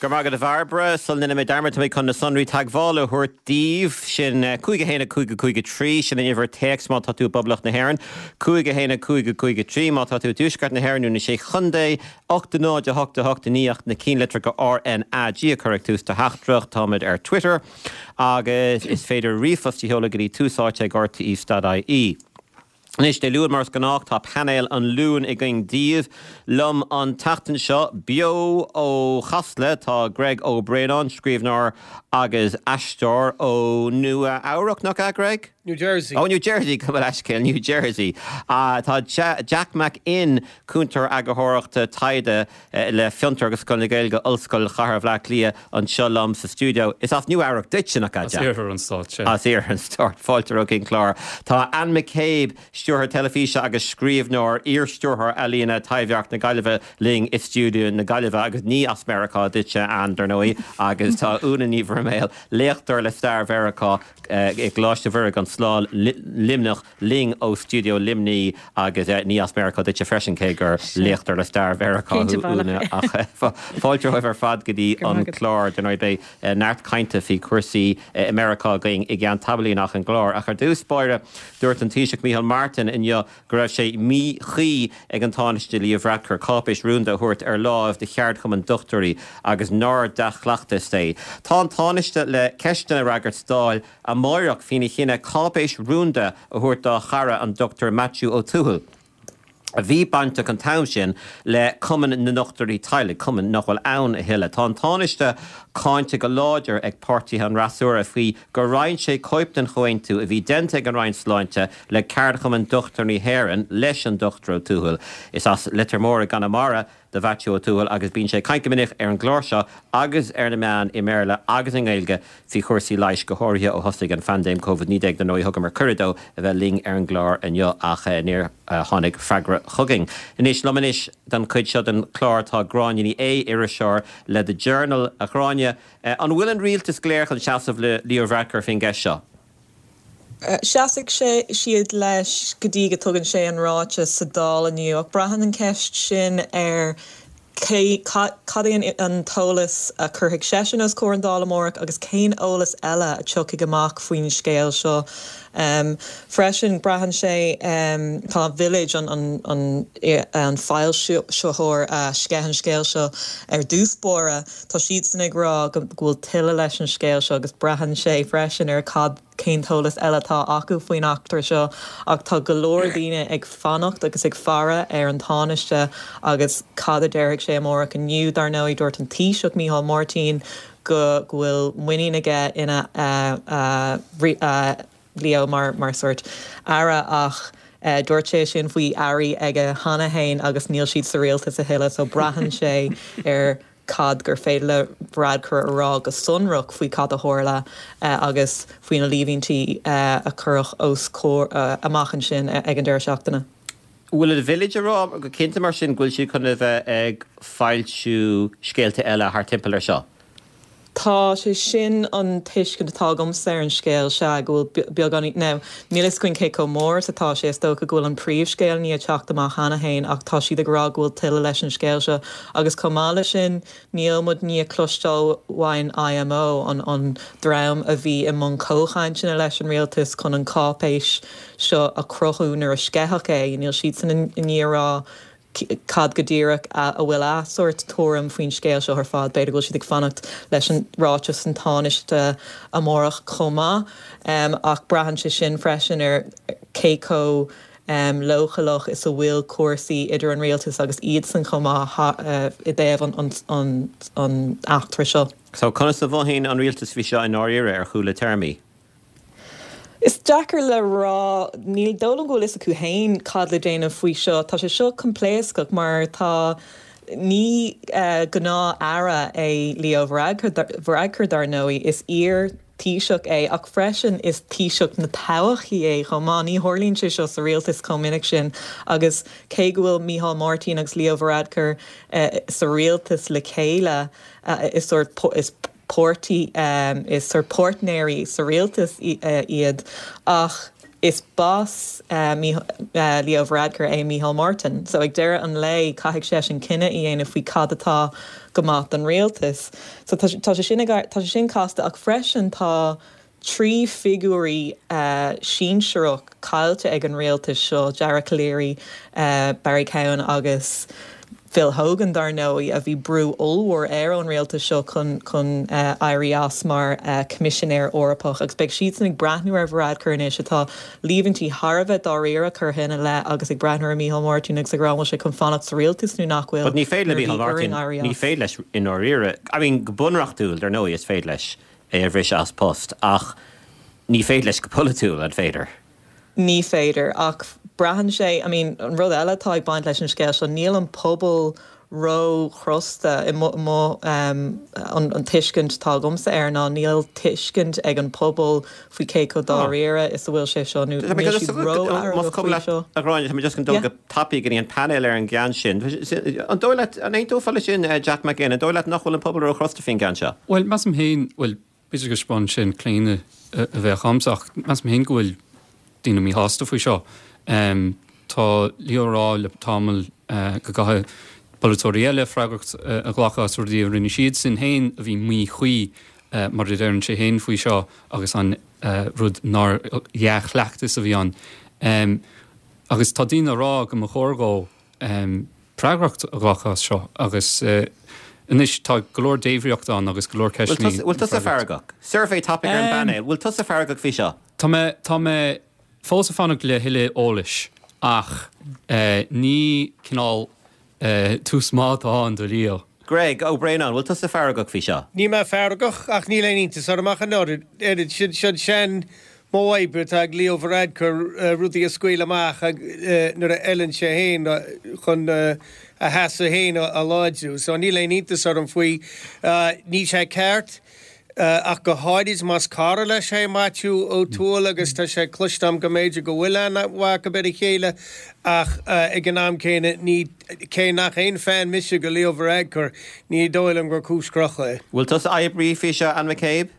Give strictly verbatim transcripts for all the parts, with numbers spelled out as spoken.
Go raibh maith agat a Bhairbre sula ndéana mé dearmad tá mé chun na sonraí teagmhála a thabhairt daoibh sin cúig a haon a cúig a cúig a trí sin an uimhir téacs má tá tú i bPoblacht na hÉireann, cúig a haon a cúig a cúig a trí má tá tú i dTuaisceart na hÉireann nó na Sé Chontae, ocht a náid a hocht a hocht a naoi ach na cinnlitreacha RNAG a chur ag tús do theachtaireacht táimid ar Twitter agus is féidir ríomhphost a sheoladh go dtí tús áite ag RTE dot IE. Anois Dé Luain mar is gnách tá painéal an Luain againn daoibh. Liom an tseachtain seo beo ó Chasla tá Greg Ó Braonáin, scríbhneoir agus aisteoir ó Nua Eabhrac nach ea Greg? New Jersey. Oh New Jersey gabh mo leithscéal New Jersey. Uh, tá Jack Mac Fhinn cúntóir eagarthóireachta taighde uh, le Fiontar agus Scoil na Gaeilge Ollscoil Chathair Bhaile Átha Cliath anseo liom sa stiúideo. Is as Nua Eabhrac duitse nach ea As iarthar an stáit sé. As iarthar an stáit fáilte go dtí an clár. Tá Anne McCabe, stiúrthóir teilifíse agus scríbhneoir iar-stiúrthóir ealaíne Taibhdhearc na Gaillimhe linn i stiúideo na Gaillimhe agus ní as Meiriceá duitse Anne dar ndóigh agus tá Úna Ní Bhroiméil léachtóir le stair Mheiriceá i gColáiste Mhuire gan Smál Luimneach linn ó stiúideo Luimnigh agus ní as Meiriceá duitse freisin cé gur léachtóir le stair Mheiriceá Úna ach fáilte romhaibh ar fad go dtí an clár dar ndóigh beidh neart cainte faoi chúrsaí i Meiriceá againn i gceann tamaillín ach an gclár ach ar dtús báire dúirt an Taoiseach Micheál Martin inniu go raibh sé míchuí ag an Tánaiste Leo Varadkar cáipéis rúnda a thabhairt ar láimh do cheardchumann dochtúirí agus nár dea-chleachtas é. Tá an Tánaiste le ceisteanna a fhreagairt sa Dáil amárach faoina chinneadh cáipéis rúnda a thabhairt dá chara an Dr Maitiú Ó Tuathail. a bhí bainteach an t-am sin le Cumann na nDochtúirí Teaghlaigh, cumann nach bhfuil ann a thuilleadh. Tá an Tánaiste cáinte go láidir ag páirtithe an fhreasúra faoi gur roinn sé cóip den chomhaontú a bhí déanta ag an Roinn Sláinte le Ceardchumann Dochtúirí hÉireann leis an Dr Ó Tuathail. Is as Leitir Móir i gConamara do Mhaitiú Ó Tuathail agus bíonn sé ag caint go minic ar an gclár seo agus ar na meáin i mBéarla agus i nGaeilge faoi chúrsaí leighis go háirithe ó thosaigh an phaindéim Covid naoi déag dar ndóigh thugamar cuireadh dó a bheith linn ar an gclár inniu ach níor tháinig freagra chugainn. Anois liom anois don chuid seo den chlár tá Gráinne Ní Aodha, iriseoir le The Journal a Ghráinne. An bhfuil an rialtas go léir chun seasamh le Leo Varadkar faoin gceist seo? Seasfaidh sé siad leis go dtí go dtugann sé an ráiteas sa Dáil inniu ach braitheann an ceist sin ar cé cad é an t-eolas a chuirfidh seisean os comhair an Dáil amárach agus cén eolas eile a tiocfaidh amach faoin scéal seo. Um, freisin braitheann sé um, tá Village an, an, an, an foilsitheoir a sceith an scéal seo ar dtús báire, Tá siadsan ag rá go bhfuil tuilleadh leis an scéal seo agus braitheann sé freisin ar cad cén t-eolas eile atá acu faoin eachtra seo ach tá go leor daoine ag fanacht agus ag faire ar an Tánaiste agus cad a déarfaidh sé amárach inniu dar ndóigh dúirt an Taoiseach Micheál Martin go go bhfuil muinín aige ina uh, uh, uh, Leo mar mar sort aire ach uh, dúirt sé sin faoi airí aige cheana féin agus níl siad sa rialtas a thuilleadh so braitheann sé ar cad gur féidir le Varadkar a rá go sonrach faoi cad a tharla uh, agus faoi na líomhaintí uh, a cuireadh os comhair uh, amach ansin ag an deireadh seachtaine. Bhfuil an Village ag rá go cinnte mar sin go bhfuil siad chun a bheith ag foilsiú scéalta eile thar timpeall ar seo. Tá sé sin an tuiscint atá agamsa ar an scéal se go bhfuil beagán now níl a fhios againn cé chomh mór is atá sé is dócha go bhfuil an príomhscéal ní teacht amach cheana féin ach tá siad ag rá go bhfuil tuilleadh leis an scéal seo agus chomh maith leis sin níl muid ní cloisteáil uain IMO an an dream a bhí i mbun comhchainteanna leis an rialtas chun an cáipéis seo a chruthú nuair a sceitheadh é níl siad san ní rá cad go díreach a bhfuil a sort tuairim faoin scéal seo ar fad b'fhéidir go bhfuil siad ag fanacht leis an ráiteas an Tánaiste amárach chomh maith um, ach braitheann sé sin freisin ar cé chomh um, leochaileach is a bhfuil cúrsaí idir an rialtas agus iadsan chomh maith uh, i dtaobh an, an, an, an eachtra seo. So conas a mhothaíonn an rialtas faoi seo i ndáiríre ar chúla téarmaí? Is deacair le rá níl dóigh liom go bhfuil a fhios acu féin cad le déanamh faoi seo, Tá sé seo coimpléascach mar tá ní uh, gnáth-aire é Leo Varadkar dar ndóigh is iar Taoiseach é ach freisin is Taoiseach na todhchaí é chomh maith ní tharlaíonn sé seo sa rialtas chomh minic sin agus cé go bhfuil Micheál Martin agus Leo Varadkar uh, sa rialtas le chéile uh, is sort is páirtí um, is sort páirtnéirí sa rialtas uh, iad ach Is boss uh, uh, Leo Varadkar é Micheál Martin, so ag deireadh an lae caithfidh sé sin cinneadh a dhéanamh faoi cad atá go maith don rialtas. So tá sé sin tá sé sin casta ach freisin tá trí figiúirí uh, sinsearach caillte ag an rialtas seo Dara Calleary, uh, Barry Cowen agus Phil Hogan dar ndóigh a bhí brú ollmhór ar an rialtas seo chun chun uh, éirí as mar uh, Coimisinéir Eorpach agus beidh siad ag breathnú ar Varadkar anois atá líomhaintí thar a bheith dáiríre curtha ina leith agus ag breathnú ar Micheál Martin agus ag rá sé chun fanacht sa rialtas nó nach bhfuil. But ní féidir le Micheál Martin ní féidir leis i ndáiríre I mean go bunreachtúil dar ndóigh is féidir leis é a bhriseadh as post ach ní féidir leis go polaitiúil an féidir. Ní féidir ach braitheann sé I mean an rud eile atá ag baint leis an scéal seo níl an pobal ró-chrosta i mo um, an, an tuiscint atá agamsa air ná níl tuiscint ag an pobal faoi cé chomh dáiríre is a bhfuil sé seo nó seo. A Ghráinne just dul go tapaidh go dtí an panel ar an gceann sin. An dóigh leat an aontófá leis sin eh, Jack McGinn, an dóigh leat nach bhfuil an pobal ró-chrosta faoin gceann seo? Well measaim féin well b'fhéidir go spáin sin claonadh a bheith agamsa ach measaim féin go bhfuil daoine míshásta faoi seo. Um, tá Leo ag rá le tamall uh, go gcaithfidh polaiteoirí eile freagracht uh, a ghlacadh as rudaí a rinne siad sin féin a bhí míchuí uh, mar a deireann sé féin faoi seo agus an uh, rud nár dhea-chleachtas a bhí ann. Um, agus tá daoine ag rá go mba chóir dó um, freagracht a ghlacadh as seo agus uh, anois tá go leor débhríocht ann agus go leor ceisteanna. Bhfuil tusa feargach. Suirbhé tapaidh ar an bpainéal, bhfuil tusa feargach faoi seo? Tá mé tá mé fós ag fanacht le thuilleadh eolais ach uh, ní cineál uh, tús maith atá ann do Leo. Greg Ó Braonáin, bhfuil tusa feargach faoi seo? Níl mé feargach ach níl aon iontas orm ach an oiread sin sin sin modh oibre atá ag Leo Varadkar rudaí a scaoileadh amach nuair a fheileann sé féin chun a sheasamh féin a láidriú. So níl aon iontas orm faoi níl sé ceart. Ach go háirid más cara leis é Maitiú Ó Tuathail agus tá sé cloiste agam go mb'fhéidir go bhfuil aithne mhaith acu ar a chéile ach ag an am céanna ní cé nach aon fan mise de Leo Varadkar ní dóigh liom gur cúis crochta é. Bhfuil tusa oibrithe faoi seo Anne McCabe?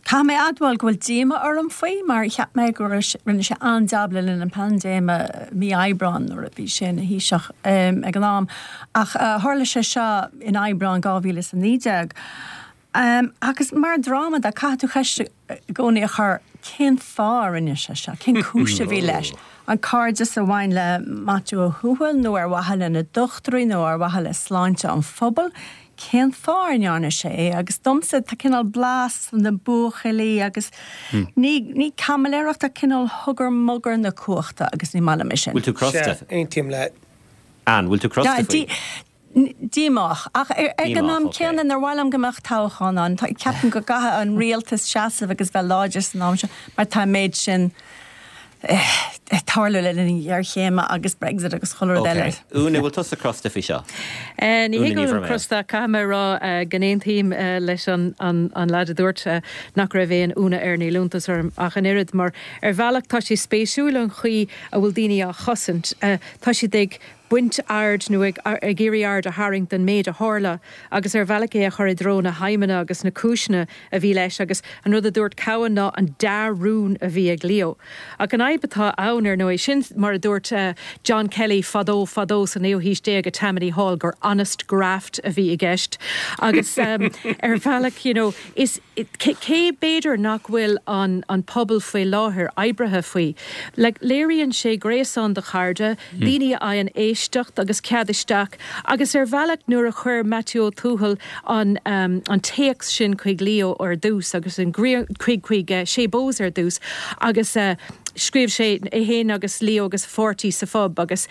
Caithfidh mé a admháil go bhfuil díomá orm faoi mar cheap mé go rinne sé an-jab le linn an paindéime mí Aibreán nuair a bhí sé ina Thaoiseach ag an am. Ach tharla sé seo in Aibreán dhá mhíle is a naoi déag. Agus mar dráma de caithfidh tú ceist i gcónaí a chur cén fáth a rinne sé seo, cén cúis a bhí leis? An cairdeas a bhain le Maitiú Ó Tuathail nó ar mhaithe le na dochtúirí nó ar mhaithe le sláinte an phobail? Cén fáth a ndearna sé é? Agus domsa tá cineál blas na buachaillí agus ní ní caimiléireacht ach cineál hugger mugger na cumhachta agus ní maith liom é sin. Bhfuil tú crosta? Sea, aontaím leat. Anne, bhfuil tú crosta faoi? Díomách. Ach ag an am céanna nár mhaith liom go mbeadh toghchán ann. Ceapaim go gcaithfidh an rialtas seasamh agus bheith láidir san am seo mar tá an méid sin ag tarlú le linn géarchéime agus Brexit agus chuile rud eile. Ok. Úna, bhfuil tusa crosta faoi seo? Ní hé go bhfuilim crosta, caithfidh mé a rá go n-aontaím leis an an leaid a dúirt nach raibh aon ionadh air, níl iontas orm ach an oiread mar ar bhealach tá sé spéisiúil an chaoi a bhfuil daoine á chosaint. Tá siad ag baint aird nó ag iarraidh aird a tharraingt den méid a tharla agus ar bhealach é a chur i dtreo na haidhmeanna agus na cúiseanna a bhí leis agus an rud a dúirt Cowen ná an dea-rún a bhí ag Leo. Ach an fhadhb atá ann ar ndóigh, sin mar a dúirt John Kelly fadó fadó sa naoú haois déag i Tammany Hall gur honest graft a bhí i gceist agus ar bhealach you know is cé b'fhéidir nach bhfuil an an pobal faoi láthair oibrithe faoi. Like léiríonn sé gréasán de chairde, daoine a fhaigheann éisteacht agus cead isteach agus ar bhealach nuair a chuir Maitiú Ó Tuathail an an téacs sin chuig Leo ar dtús agus an chuig chuig Shay Bowes ar dtús agus scríobh sé é féin agus Leo agus a pháirtí sa phub agus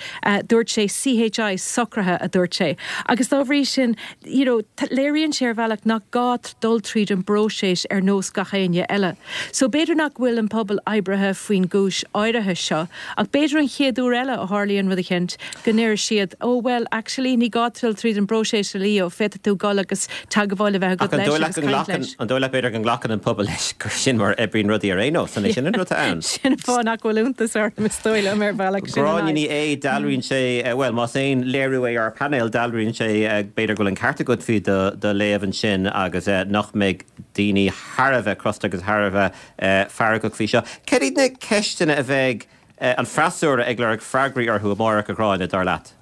dúirt sé CHI socraithe a dúirt sé agus dá bhrí sin you know léiríonn sé ar bhealach nach gá dul tríd an bpróiseas ar nós gach éinne eile. So b'fhéidir nach bhfuil an pobal oibrithe faoin gcúis áirithe seo ach b'fhéidir an chéad uair eile a tharlaíonn rud eicínt go ndéarfaidh siad oh well actually ní gá dul tríd an bpróiseas a Leo, féadfaidh tú dul agus teagmháil a bheith agat leis agus caint leis. An dóigh leat b'fhéidir go nglacann an pobal leis gur sin mar a oibríonn rudaí ar aon nós, an é sin an rud atá ann? Sin an fáth fáth nach bhfuil iontas orm is dóigh liom ar bhealach sin an Gráinne Ní fhadhb. Aodha, dealraíonn sé, bhuel, más aon léiriú é ár bpainéal, dealraíonn sé b'fhéidir go bhfuil an ceart agat faoi do do léamh ansin agus nach mbeidh daoine thar a bheith crosta agus thar a bheith feargach faoi seo. Cad iad na ceisteanna a bheidh an freasúra ag lorg freagraí orthu amárach, a Ghráinne, dar leat?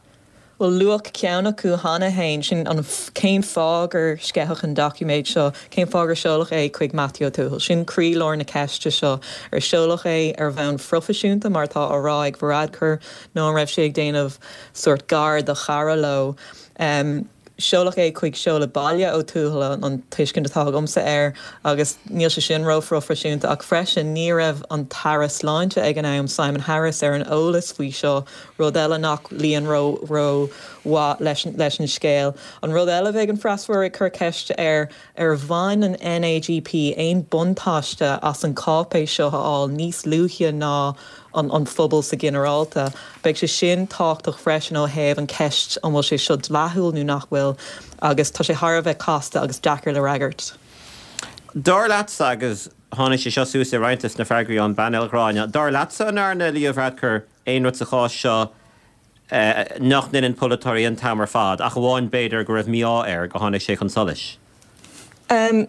Bhuel, luadh ceann acu cheana féin, sin an cén fáth gur sceitheadh an doiciméad seo, cén fáth gur seoladh é chuig Matthew Ó Tuathail. Sin croílár na ceiste seo. Ar seoladh é ar bhonn phroifisiúnta mar atá á rá ag Varadkar nó an raibh sé ag déanamh sórt gar do chara leo? Um, seoladh é chuig seoladh baile Ó Tuathail an tuiscint atá agamsa air agus níl sé sin róphroifisiúnta ach freisin ní raibh an tAire Sláinte ag an am Simon Harris ar an eolas faoi seo rud eile nach luíonn ró rómhaith leis, leis an scéal. An rud eile bheidh an freasúra ag cur ceiste ar ar bhain an NAGP aon buntáiste as an cáipéis seo a fháil níos luaithe ná an, an phobal sa ginearálta. Beidh sé sin tábhachtach freisin ó thaobh an ceist an bhfuil sé seo dleathúil nó nach bhfuil agus tá sé thar a bheith casta agus deacair le freagairt. Dar leatsa agus tháinig sé seo suas i roinnt de na freagraí ón bpainéal Gráinne, dar leatsa an ndearna Leo Varadkar aon rud sa chás seo nach ndéanann polaiteoirí an t-am ar fad, ach amháin b'fhéidir go raibh mí-ádh air go tháinig sé chun solais. Um,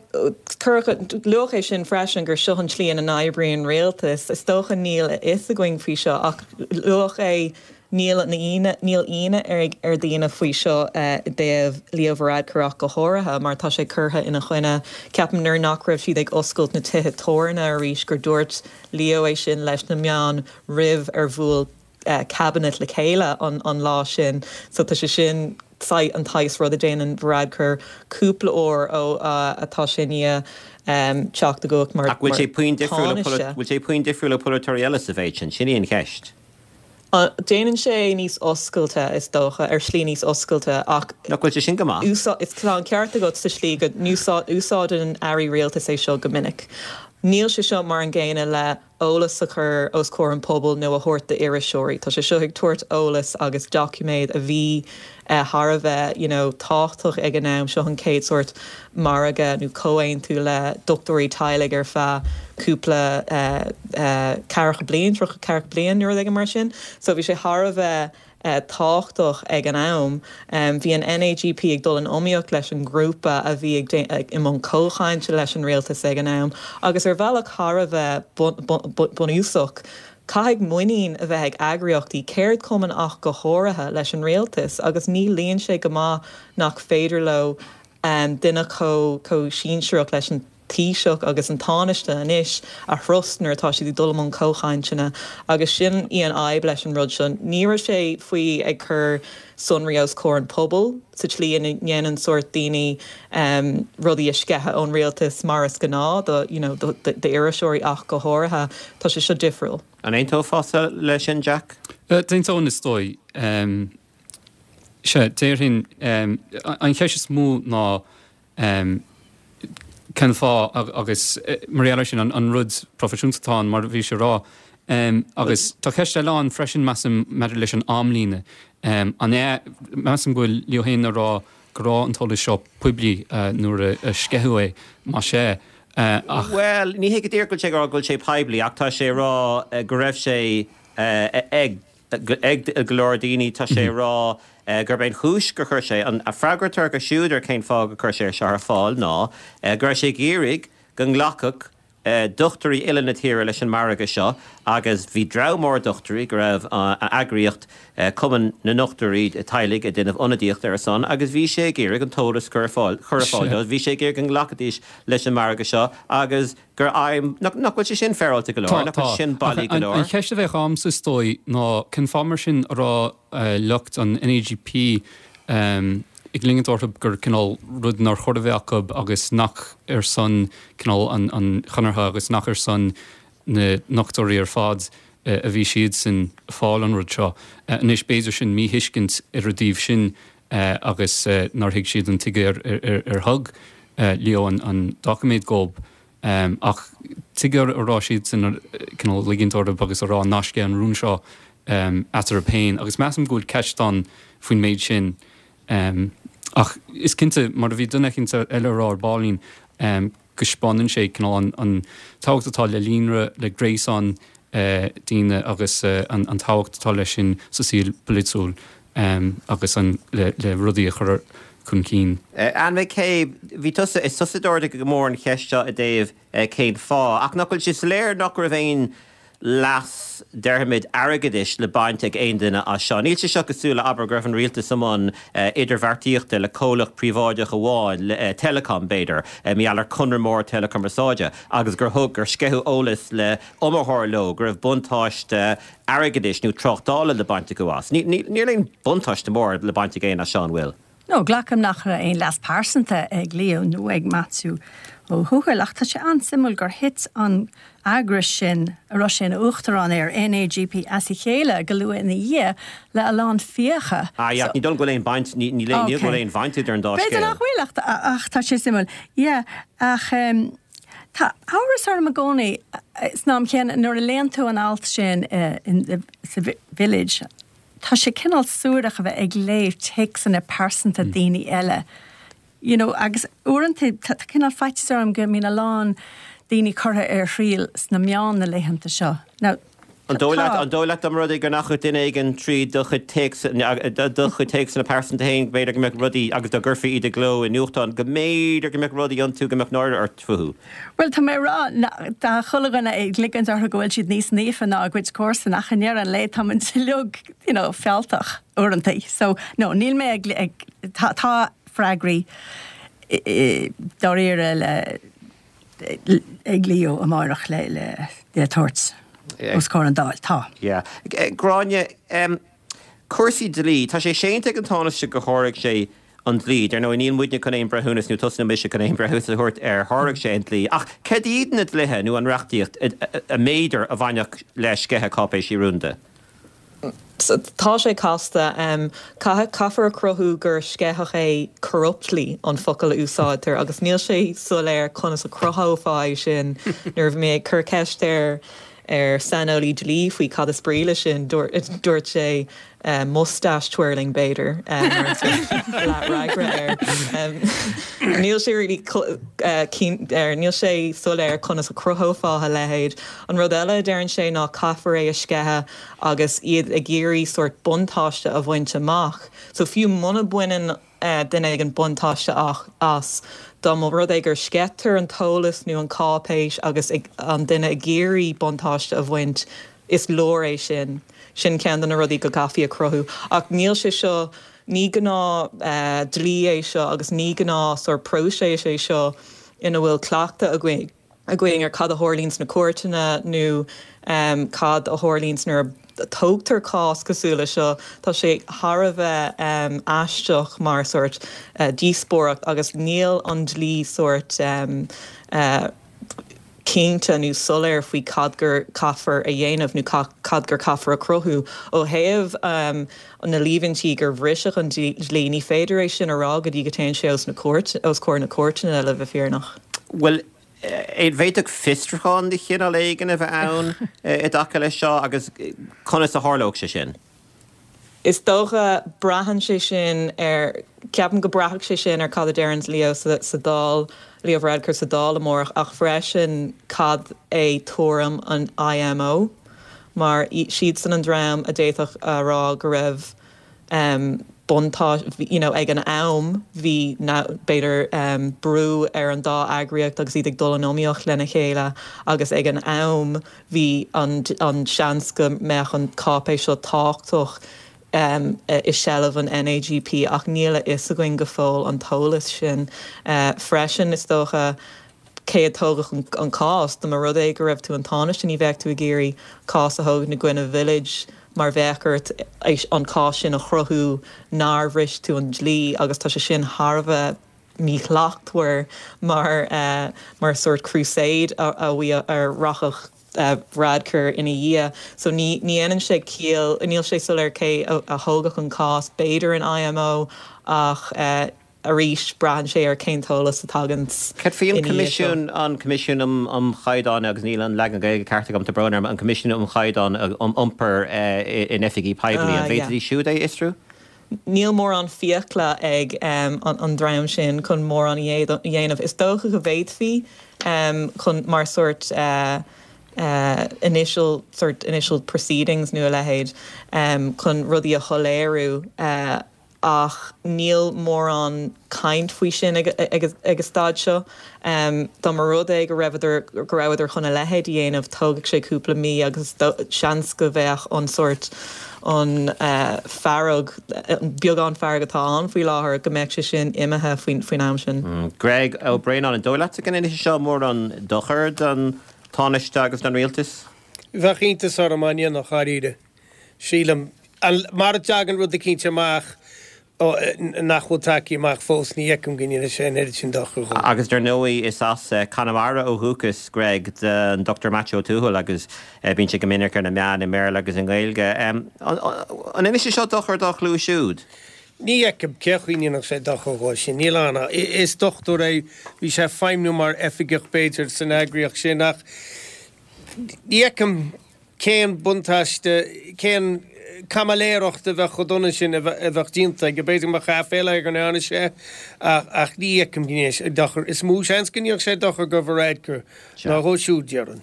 luadh é sin freisin gur seo an tslí ina n-oibríonn rialtas, is dócha níl a fhios againn faoi seo ach luadh é níl níl ionadh ar ar daoine faoi seo uh, i dtaobh Leo Varadkar ach go háirithe mar tá sé curtha ina choinne ceapaim nuair nach raibh siad ag oscailt na tithe tábhairne arís gur dúirt Leo é sin leis na meáin roimh ar bhuail uh, cabinet le chéile an, an lá sin so tá sé sin an saghas rud a déanann Varadkar cúpla uair ó uh, atá sé ní um, teacht i gcumhacht mar Ach bhfuil sé puinn difriúil bhfuil sé puinn difriúil le polaiteoirí eile sa mhéid sin, sin í an cheist. Uh, déanann sé níos oscailte is dócha ar shlí níos oscailte ach Nach bhfuil sé sin go maith? Is tá an ceart agat sa slí go úsáideann airí rialtais é seo go minic. Níl sé seo mar an gcéanna le eolas a chur os comhair an pobal nó a thabhairt d'iriseoirí. Tá sé seo ag tabhairt eolas agus doiciméad a bhí uh, thar a bheith you know, tábhachtach ag an am seo an chéad sórt margadh nó comhaontú le dochtúirí teaghlaigh ar feadh cúpla uh, uh, ceathracha bliain ceathracha bliain nuair ag mar sin, so bhí sé thar a bheith uh, tábhachtach ag an am. Um, bhí an NAGP ag dul in iomaíocht leis an grúpa a bhí ag i mbun comhchainte leis an rialtas ag an am, agus ar bhealach thar a bheith bunúsach. Caithfidh muinín a bheith ag eagraíochtaí ceardchumann ach go háirithe leis an rialtas, agus ní luíonn sé go maith nach féidir leo um, duine chomh chomh sinsearach leis an Taoiseach agus an Tánaiste anois a thrust nuair atá siad ag dul i mbun comhchainteanna agus sin í an fhadhb leis an rud seo. Ní raibh sé faoi ag cur sonraí os comhair an pobal sa tslí ina ndéanann sórt daoine um, rudaí a sceitheadh ón rialtas mar is gnáth do you know, d'iriseoirí ach go háirithe tá sé seo difriúil. An aontófá leis sin Jack? Uh, D'aontóinn is dóigh um, sé déarfainn um, an cheist is mó ná um, cén fáth agus mar eile sin an, an rud proifisiúnta atá mar bhí sé rá. Um, agus tá ceist eile ann freisin measaim maidir leis an amlíne. Um, an é measaim go bhfuil Leo féin ag rá go raibh an t-eolas seo poiblí uh, nuair a sceitheadh é má sé. Uh, ach Well, ní hé go díreach go sé go bhfuil sé poiblí ach tá sé rá uh, go raibh sé uh, ag ag go leor daoine tá sé rá uh, gurb é an chúis gur chuir sé an a freagra go siúd ar cén fáth gur chuir sé seo ar fáil ná uh, gur sé ag iarraidh go nglacfadh uh, dochtúirí uile na tíre leis an margadh seo agus bhí dream mór dochtúirí go raibh uh, an eagraíocht uh, Cumann na nDochtúirí Teaghlaigh ag déanamh ionadaíocht ar a son agus bhí sé ag iarraidh an t-eolas chur fáil chur fáil bhí sé ag iarraidh go nglacfaidís leis an margadh seo agus gur aim nach bhfuil sé sin féaráilte go leor nach sin bailí go leor. An cheist a bheadh agamsa is dóigh ná cén fáth mar sin a raibh uh, lucht an NAGP um, ag ligint orthu gur cineál rud nár chóir a bheith acu agus nach ar son cineál an, an chonartha agus nach ar son na ndochtúirí ar fad uh, a bhí siad sin fáil an rud seo. Uh, anois b'fhéidir sin míthuiscint ar a dtaobh sin uh, agus uh, nár thuig siad an tuige ar, ar, ar, ar thug uh, Leo an, an doiciméad dóibh. Um, ach tuige a raibh siad sin cineál ligint orthu agus a rá ná sceith an rún seo um, eatarthu féin, agus measaim go bhfuil ceist ann faoin méid sin. Um, ach is cinnte mar a bhí duine cinnte eile rá ar baillín um, go spáineann sé cineál an, an tábhacht atá le líonra le gréasán daoine agus an an tábhacht atá leis sin sa saol polaitiúil agus an le le rudaí a chur chun cinn. Anne McCabe, bhí tusa, is tusa a d'ardaigh go mór an cheist seo i dtaobh cén fáth, ach nach bhfuil sé soiléir nach raibh aon leas, déarfaimid, airgeadais le baint ag aon duine as seo. Níl sé seo cosúil le, abair, go raibh an rialtas i mbun idirbheartaíochta le comhlacht príobháideach amháin, le Telecom, b'fhéidir, mar gheall ar conradh mór teileachumarsáide, agus gur thug, gur sceitheadh eolas le iomaitheoir leo go raibh buntáiste airgeadais nó tráchtála le baint acu as. Níl aon buntáiste mór le baint ag éinne as seo, an bhfuil? No, glacaim nach raibh aon leas pearsanta ag Leo nó ag Maitiú Ó Tuathail, ach tá sé an-suimiúil gur thit an eagras sin a raibh sé ina uachtarán air, NAGP, as a chéile go luath ina dhiaidh le a lán fiacha. Ah, yeah, ní dóigh liom go bhfuil aon bhaint, ní ní go bhfuil aon bhaint idir an dá scéal. B'fhéidir nach bhfuil ach ach tá sé suimiúil. Yeah, ach tá amhras orm i gcónaí san am chéanna nuair a léann tú an alt sin sa Village, Tá sé cineál suarach a bheith ag léamh téacsanna pearsanta daoine eile, you know, agus uaireanta tá cineál faitíos orm go mbíonn a lán daoine curtha ar thriail sna meáin na laethanta seo. Now, An dóigh leat, an dóigh leat dá mba rud é go ndeachaigh duine éigin trí do chuid téacs, do chuid téacsanna pearsanta féin, b'fhéidir go mbeadh rudaí, agus dá gcuirfí iad i gcló i nuachtán, go mb'fhéidir go mbeadh rudaí iontu go mbeadh náire ort fúthu? Bhuel, tá mé ag rá, tá chuile dhuine ag ligint orthu go bhfuil siad níos naofa ná a gcuid comharsan ach i ndeireadh an lae tá muid uilig, you know, fealltach uaireanta. So, no, níl mé ag, ag, tá, tá freagraí dáiríre le, ag Leo amárach le, le, le tabhairt os comhair an Dáil. Tá. Yeah. Gráinne, em, cúrsaí dlí, tá sé séanta ag an Tánaiste gur sháraigh sé an dlí. Dar ndóigh, níl muidne chun aon breithiúnas, nó tusa nó mise chun aon bhreithiúnas a thabhairt ar sháraigh sé an dlí. Ach cad iad na dlíthe nó an reachtaíocht a mb'fhéidir a bhainfeadh le sceitheadh cáipéisí rúnda? Tá sé casta. Caithfear a chruthú gur sceitheadh é corruptly an focal a úsáidtear agus níl sé soiléir conas a chruthófá é sin. Nuair a bhí mé ag cur ceist ar ar saineolaí dlí faoi cad is brí leis sin, dúirt sé moustache twirling b'fhéidir mar leathfhreagra air. Níl sé really níl sé soiléir conas a chruthófá a leithéid. An rud eile a deireann sé ná caithfear é a sceitheadh agus iad ag iarraidh sórt buntáiste a bhaint amach. So fiú muna mbaineann duine éigin buntáiste as, dá mba rud é gur sceitear an t-eolas nó an cáipéis agus an duine ag iarraidh buntáiste a bhaint, is leor é sin. Sin ceann de na rudaí go gcaithfí a chruthú. Ach níl sé seo, ní gnáth dlí é seo agus ní gnáth sórt próiseas é seo ina bhfuil cleachtadh againn. againn ar cad a tharlaíonn sna cúirteanna nó cad a tharlaíonn nuair a tógtar cás cosúil le seo. Tá sé thar a bheith aisteach mar sórt díospóireacht agus níl an dlí sórt cinnte nó soiléir faoi cad gur caithfear a dhéanamh nó cad gur caithfear a chruthú. Ó thaobh na líomhaintí gur bhriseadh an dlí, ní féidir é sin a rá go dtí go dtéann sé os na cúirt, os comhair na cúirteanna le bheith fírinneach. Bhuel, an bhféadfadh fiosrúchán de chineál éigin a bheith ann i dtaca leis seo agus conas a tharlódh sé sin? Is dócha, braitheann sé sin ar, ceapaim go braithfeadh sé sin ar cad a deireanns Leo sa Dáil, Leo Varadkar sa Dáil amárach ach freisin cad é tuairim an IMO mar siadsan an dream a d'fhéadfadh a rá go raibh buntáiste, you know ag an am bhí b'fhéidir brú ar an dá eagraíocht agus iad ag dul in iomaíocht lena chéile agus ag an am bhí an an seans go mbeadh an cáipéis seo tábhachtach i seilbh an NAGP ach níl a fhios againn go fóill an t-eolas sin. Freisin is dócha cé a tógfadh an cás. Dá mba rud é go raibh tú an Tánaiste ní bheadh tú ag iarraidh cás a thógaint i gcoinne Village mar bheadh ort an cás sin a chruthú nár bhris tú an dlí agus tá sé sin thar a bheith míshlachtmhar mar mar sórt crusade a a rachadh Varadkar ina dhiaidh. So ní ní dhéanann sé ciall, níl sé soiléir cé a thógfadh an cás, b'fhéidir an IMO ach arís braitheann sé ar cén t-eolas a taganns Cad faoi an Coimisiún, an Coimisiún um um Chaighdeán, agus níl an leagan Gaeilge ceart agam, tá brón orm, an Coimisiún um Chaighdeán um Iompar in Oifigí Poiblí, an bhféadfaidís siúd é a fhiosrú? Níl mórán fiacla ag an dream sin chun mórán a dhéanamh. Is dócha go bhféadfaí chun mar sórt initial sort initial proceedings nó a leithéid chun rudaí a shoiléiriú ach níl mórán caint faoi sin ag an staid seo. Dá mba rud é go raibheadar go rabhadar chun a leithéid a dhéanamh tógfaidh sé cúpla mí agus seans go bheadh an sort an fearg beagán fearg atá ann faoi láthair go mbeadh sé sin imithe faoin faoin am sin. Greg Ó Braonáin an dóigh leatsa go ndéanfaidh sé seo mórán dochair don Tánaiste agus don rialtas? Bheadh iontas orm dá ndéanfadh dáiríre. Sílim, mara dtagann rud eicínt amach nach bhfuil tagtha amach fós, ní fheicim go ndéanfaidh sé an oiread sin dochair dhó. Agus dar ndóigh is as Conamara ó dhúchas Greg don Dochtúir Maitiú Ó Tuathail agus bíonn sé go minic ar na meáin i mBéarla agus i nGaeilge. An ndéanfaidh sé seo dochar dá chlú siúd? Ní fheicim cén chaoi a ndéanfadh sé dochar dhó sin. Níl ann. Is dochtúir é, bhí sé ag feidhmiú mar oifigeach b'fhéidir san eagraíocht sin ach ní fheicim cén buntáiste, cén caimiléireacht a bheadh chomh dona sin a bheadh déanta aige. B'fhéidir go mbeadh aiféala air go ndearna sé ach ní fheicim go ndéanfaidh sé dochar. Is mó seans go ndéanfadh sé dochar do Varadkar ná dhó siúd, déarfainn.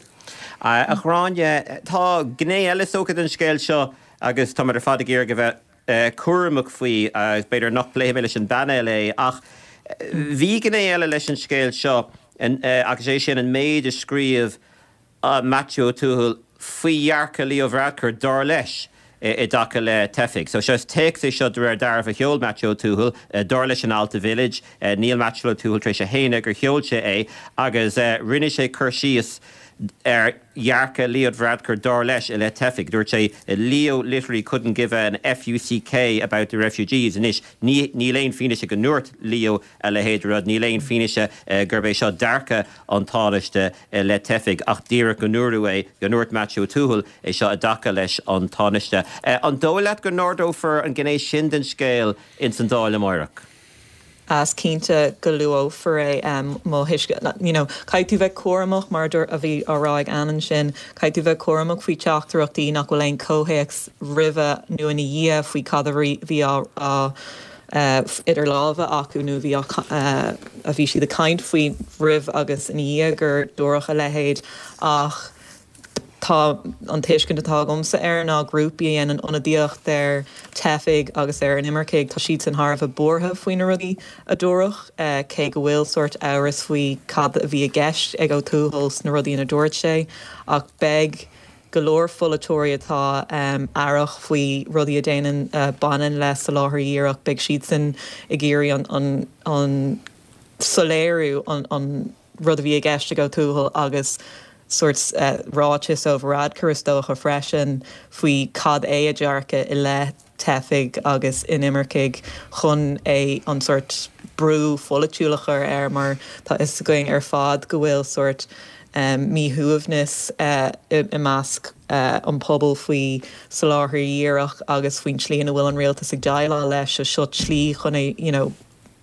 A Ghráinne, tá gné eile is dócha den scéal seo agus táimid ar fad ag iarraidh a bheith cúramach faoi agus b'fhéidir nach bpléifidh mé leis an bpainéal é ach bhí gné eile leis an scéal seo agus é sin an méid a scríobh Maitiú Ó Tuathail faoi dhearcadh Leo Varadkar, dar leis, i dtaca le teifigh. So seo, is téacs é seo de réir dealraimh a sheol Maitiú Ó Tuathail, dar leis an alt i Village. Níl Maitiú Ó Tuathail tar éis a shéanadh gur sheol sé é agus rinne sé cur síos ar dhearcadh Leo Varadkar, dar leis, i leith teifigh. Dúirt sé, Leo literally couldn't give an FUCK about the refugees. Anois, níl aon fianaise go ndúirt Leo a leithéid de rud, níl aon fianaise gurb é seo dearcadh an Tánaiste i leith teifigh, ach díreach go ndúradh é, go ndúirt Maitiú Ó Tuathail é seo i dtaca leis an Tánaiste. An dóigh leat go n-ardófar an ghné sin den scéal ins an Dáil amáireach? Is cinnte go luafar é mo thuiscint. You know, caithfidh tú bheith cúramach mar a bhí á rá ag Ann ansin, caithfidh tú bheith cúramach faoi teachtaireachtaí nach bhfuil aon comhthéacs roimhe nó ina dhiaidh faoi cad a bhí á idir lámha acu nó bhí a bhí siad ag caint faoi roimh agus ina dhiaidh gur dúradh a leithéid ach tá an tuiscint atá agamsa air ná grúpaí a dhéanann ionadaíocht ar teifigh agus ar inimircigh, tá siadsan thar a bheith buartha faoi na rudaí a dúradh, cé go bhfuil sórt amhras faoi cad a bhí i gceist ag Ó Tuathail sna rudaí ina dúirt sé ach beidh go leor pholaiteoirí atá aireach faoi rudaí a déanann baineann le soláthar díreach, beidh siadsan ag iarraidh an an soiléiriú an an rud a bhí i gceist ag Ó Tuathail agus sórt ráiteas ó Varadkar is dócha freisin faoi cad é a dhearcadh i leith teifigh agus inimircigh chun é an sórt brú pholaitiúil a chur air mar tá fhios againn ar fad go bhfuil sórt míshuaimhneas i measc an pobail faoi soláthar díreach agus faoin tslí ina bhfuil an rialtas ag déileáil leis so seo tslí chun é you know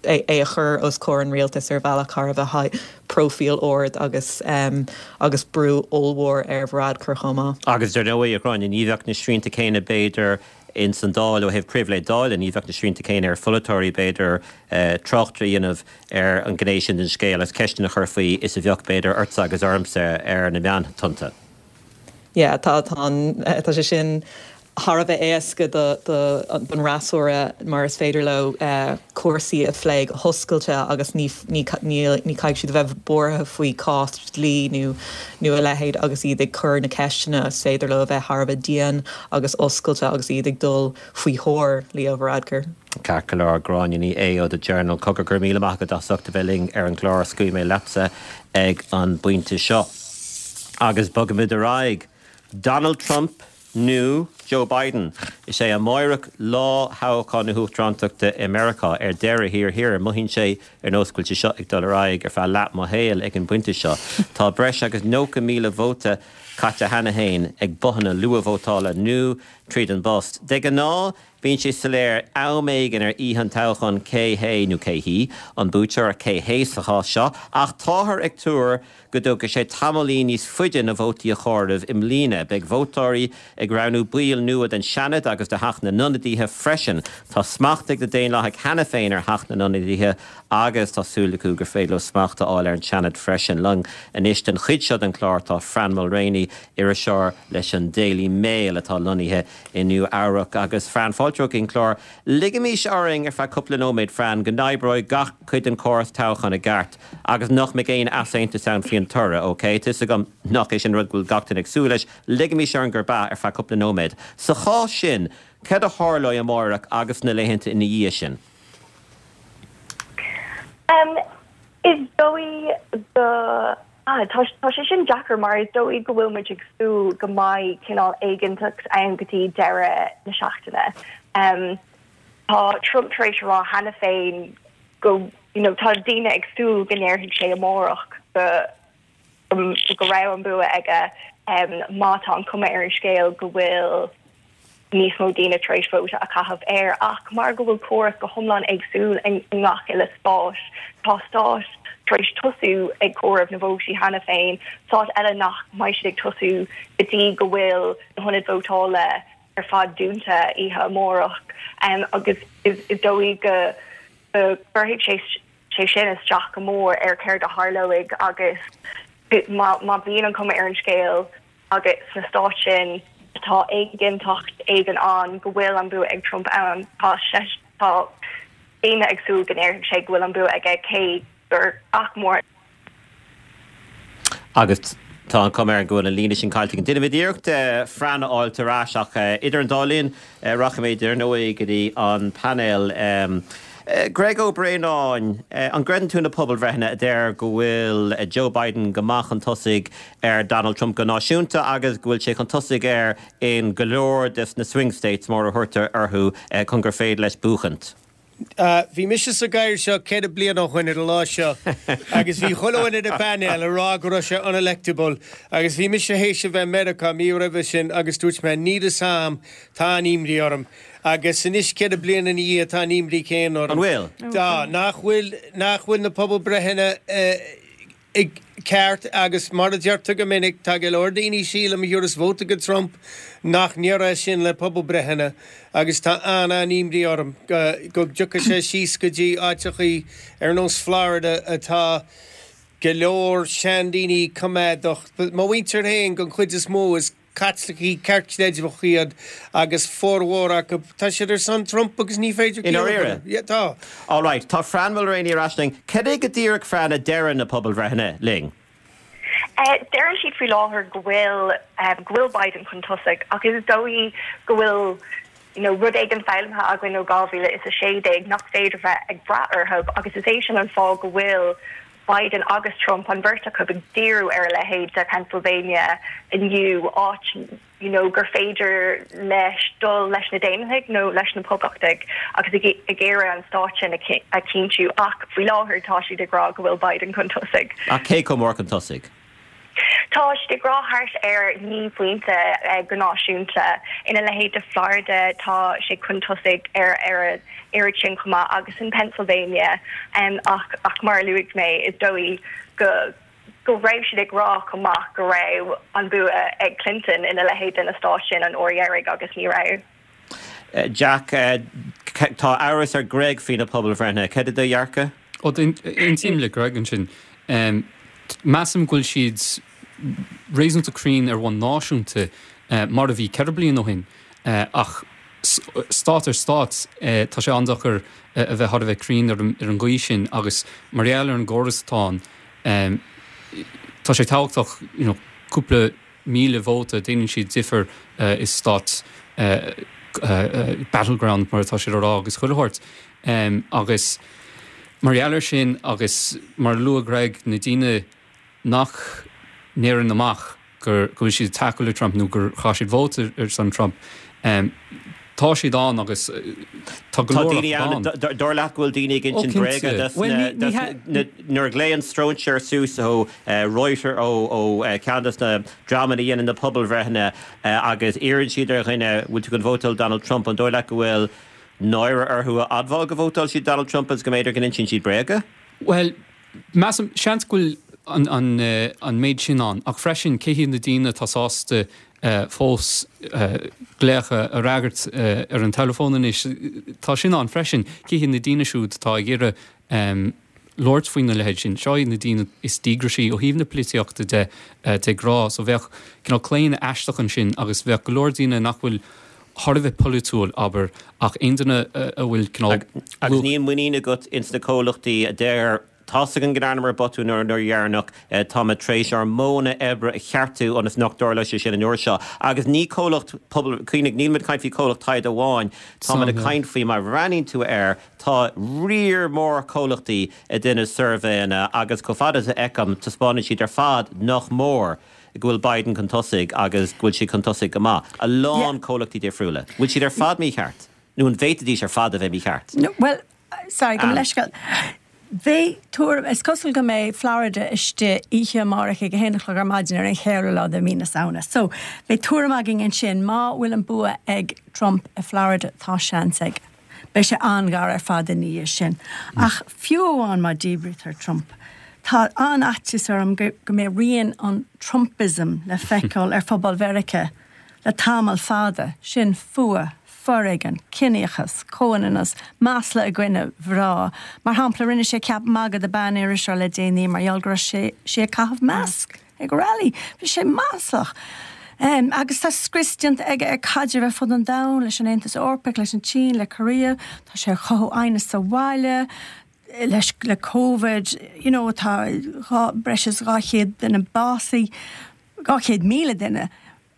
é a chur os comhair an rialtais ar bhealach thar a bheith próifíl ard agus agus brú ollmhór ar Varadkar chomh maith. Agus dar ndóigh, a Ghráinne, ní bheadh na srianta céanna b'fhéidir ins an Dáil ó thaobh pribhléid Dála, ní bheadh na srianta céanna ar pholaiteoirí b'fhéidir trácht a dhéanamh ar an ghné sin den scéal agus ceisteanna a chur faoi is a bheadh b'fhéidir ortsa agus ormsa ar na meántonnta. Yeah, tá tá an tá sé sin thar a bheith éasca don fhreasúra mar is féidir leo cúrsaí a phlé go hoscailte agus ní ní ní caithfidh siad a bheith buartha faoi cás dlí nó nó a leithéid agus iad ag cur na ceisteanna is féidir leo a bheith thar a bheith dian agus oscailte agus iad ag dul faoi thóir Leo Varadkar. Ceart go leor, Gráinne Ní Aodha ó The Journal. Cogar, go raibh míle maith agat as ucht a bheith linn ar an gclár. Scaoilfidh mé leatsa ag an bpointe seo. Agus bogfaimid ar aghaidh. Donald Trump nó Joe Biden? Is é amáireach lá thoghchán na huachtarántachta i Meiriceá. Ar deireadh thiar thiar, mothaíonn sé ar nós go bhfuil sé seo ag dul ar aghaidh ar feadh leath mo shaoil ag an bpointe seo. Tá breis agus nócha míle vóta caite cheana féin ag bothanna luathvótála nó tríd an bpost. De ghnáth, bíonn sé soiléir am éigin ar oíche an toghcháin cé hé nó cé hí an buaiteoir, cé hé sa chás seo, ach táthar ag tuar go dtógfaidh sé tamaillín níos faide na vótaí a chomhaireamh i mbliana. Beidh vótóirí ag roghnú baill baill nua den Seanad agus de Theach na nIonadaithe freisin. Tá smacht ag na Daonlathaigh cheana féin ar Theach na nIonadaithe agus tá súil acu gur féidir leo smacht a fháil ar an Seanad freisin. Linn anois den chuid seo den chlár tá Fran Mulraney, iriseoir leis an Daily Mail atá lonnaithe i Nua Eabhrac agus Fran fáilte chuig an chlár. Ligimis orainn ar feadh cúpla nóiméad Fran go n-oibreoidh gach cuid den chóras toghcháin i gceart agus nach mbeidh aon easaontas ann faoin toradh, ok? Tá fhios agam nach é sin rud go bhfuil gach duine ag súil leis, ligimis orainn gurb ea ar feadh cúpla nóiméad. Sa chás sin, cad a tharlóidh amárach agus na laethanta ina dhiaidh sin? Um, is dóigh go ah, tá tá sé sin deacair mar is dóigh go bhfuil muid ag súil go mbeidh cineál éiginnteacht ann go dtí deireadh na seachtaine. Um, tá Trump tar éis rá cheana féin go you know, tá daoine ag súil go ndéarfaidh sé amárach go um, go raibh an bua aige um, má tá an cuma ar an scéal go bhfuil níos mó daoine tar éis vóta a chaitheamh air ach mar go bhfuil córas go hiomlán éagsúil i ngach uile stát tá stát tar éis tosú ag comhaireamh na vótaí cheana féin stát eile nach mbeidh siad ag tosú go dtí go bhfuil na hionaid vótála ar fad dúnta oíche amárach um, agus is, is dóigh go gcuirfidh sé sé sin isteach go mór ar céard a tharlóidh agus má má bhíonn an cuma ar an scéal agus sna stáit sin tá éiginnteacht éigin ann go bhfuil an bua ag Trump ann tá sé tá daoine ag súil go ndéarfaidh sé go bhfuil an bua aige cé gur ach mór Agus tá an cuma ar go bhfuil an líne sin caillte. Déanfaimid iarracht Fran a fháil ar ais ach idir an dá linn rachaimid ar ndóigh go dtí an painéal. Greg Ó Braonáin, an gcreideann tú na pobalbhreitheanna a deir go bhfuil Joe Biden go maith chun tosaigh ar Donald Trump go náisiúnta agus go bhfuil sé chun tosaigh air in go leor des na swing states mar a thugtar orthu chun gur féidir leis buachaint? Bhí mise sa gcathaoir seo ceithre bliana ó shin ar an lá seo agus bhí chuile dhuine ar an bpainéal ag rá go raibh sé unelectable agus bhí mise théis a bheith i Meiriceá mí roimhe sin agus dúirt mé níl fhios a'm tá an-imní orm agus anois ceithre bliana ina dhiaidh tá an imní céanna orm. An bhfuil? Tá, nach bhfuil nach bhfuil na pobalbreitheanna ceart agus mar a deirtear go minic tá go leor daoine sílim a thabharfas vóta go Trump nach ndéarfadh sin le pobalbreitheanna agus tá an-an-imní orm go dtiocfaidh sé síos go dtí áiteachaí ar nós Florida atá go leor seandaoine coimeádach. Mo mhuintir féin den chuid is mó is Caitlicigh ceartchreidmheach iad agus formhór acu tá siad ar son Trump agus ní féidir I ndáiríre? Yeah, tá. All right, tá Fran Mulraney ar ais linn. Cad é go díreach Fran a deireann na pobalbhreitheanna linn? Uh, deireann siad faoi láthair go bhfuil um, go bhfuil Biden chun tosaigh ach is dóigh go bhfuil you know, rud éigin foghlamtha againn ó dhá mhíle is a sé déag nach féidir bheith ag brath orthu agus is é sin an fáth go bhfuil Biden agus Trump an bheirt acu ag díriú ar a leithéid de Pennsylvania inniu áit you know, gur féidir leis dul leis na Daonlathaigh nó leis na Poblachtaigh agus ag ag iarraidh an stát sin a chinntiú ach faoi láthair tá siad ag rá go bhfuil Biden chun tosaigh. Ach cé chomh mór chun tosaigh? Tá siad ag rá thart ar naoi bpointe go náisiúnta ina leithéid de Florida tá sé chun tosaigh ar ar an oiread sin chomh maith agus in Pennsylvania um, ach ach mar a luaigh mé is dóigh go go raibh siad ag rá chomh maith go raibh an bua ag Clinton ina leithéid de na stáit sin an uair dheiridh agus ní raibh. Jack, tá amhras ar Greg faoi na pobalbhreitheanna, cad é do dhearcadh? Ó aontaím le Greg ansin. Um, measaim go bhfuil siad réasúnta cruinn ar bhonn náisiúnta mar a bhí ceithre bliana ó shin ach stát ar stát tá sé an-deacair a bheith thar a bheith cruinn ar an gcaoi sin agus mar gheall ar an gcóras atá ann tá sé tábhachtach you know, cúpla míle vóta déanann siad difear i stát battleground mar atá siad á rá agus chuile shórt agus mar gheall air sin agus mar a luaigh Greg na daoine nach ndeireann amach gur go bhfuil siad ag tacú le Trump nó gur chaith siad vóta ar son Trump. Tá siad ann agus tá go leor acu ann. Dar leat go bhfuil daoine ag insint bréaga nuair a ghlaonn stróinséir suas ó Reuters ó ceann des na dreamanna a dhéanann na pobalbhreitheanna agus iarrann siad ar dhuine bhfuil tú chun vótáil Donald Trump, an dóigh leat go bhfuil náire orthu a admháil go vótáil siad Donald Trump agus go mb'fhéidir go n-insíonn siad bréaga? Bhuel, measaim, seans go bhfuil an, an, an méid sin ann, ach freisin cé hiad na daoine atá sásta fós glaoch a fhreagairt ar an teileafón anois. Tá sin ann freisin. Cé hiad na daoine siúd atá ag iarraidh labhairt faoina leithéid sin? Seo iad na daoine is díograisí ó thaobh na polaitíochta de de ghnáth. So bheadh cineál claonadh aisteach ansin agus bheadh go leor daoine nach bhfuil thar a bheith polaitiúil, abair, ach aon duine a bhfuil cineál. Agus níl muinín agat ins na comhlachtaí a deir, Tá's againn go ndearnamar botún an uair dheireanach, táimid tar éis ár modhanna oibre a cheartú ionas nach dtarlóidh sé sin an uair seo. Agus ní comhlacht pobal, cuimhnigh, nílimid ag caint faoi chomhlacht taighde amháin, táimid ag caint faoi, má bhreathnaíonn tú air, tá riar mór comhlachtaí ag déanamh suirbhéanna agus chomh fada is a fheicim, taispeánann siad ar fad nach mór go bhfuil Biden chun tosaigh agus go bhfuil sé chun tosaigh go maith. A lán comhlachtaí difriúla. Bhfuil siad ar fad mícheart? Nó an bhféadfaidís ar fad a bheith mícheart? Bhuel, sorry, gabh mo leithscéal. Beidh tuairim, is cosúil go mbeidh Florida istigh oíche amárach ag a haon a chlog ar maidin ar an cheathrú lá de mhí na Samhna. So, beidh tuairim againn ansin. Má bhfuil an bua ag Trump i Florida, tá seans aige. Beidh sé an-ghar ar fad ina dhiaidh sin. Ach fiú amháin má díbrítear Trump, tá an-fhaitíos orm go mbeidh rian an Trumpism le feiceáil ar phobal Mheiriceá le tamall fada. Sin fuath. foréigean, ciníochas, comhionannas, masla i gcoinne mhná. Mar shampla, rinne sé ceap magaidh de ban-iriseoir le déanaí mar gheall go raibh sé sí ag caitheamh masc ag rally. Bhí sé maslach. Agus tá scrios déanta aige ar caidrimh ar fud an domhain, leis an Aontas Eorpach, leis an tSín, le Korea. Tá sé ag chothú aighneas sa bhaile leis le Covid, you know, tá dhá, breis is dhá chéad duine básaithe, dhá chéad míle duine.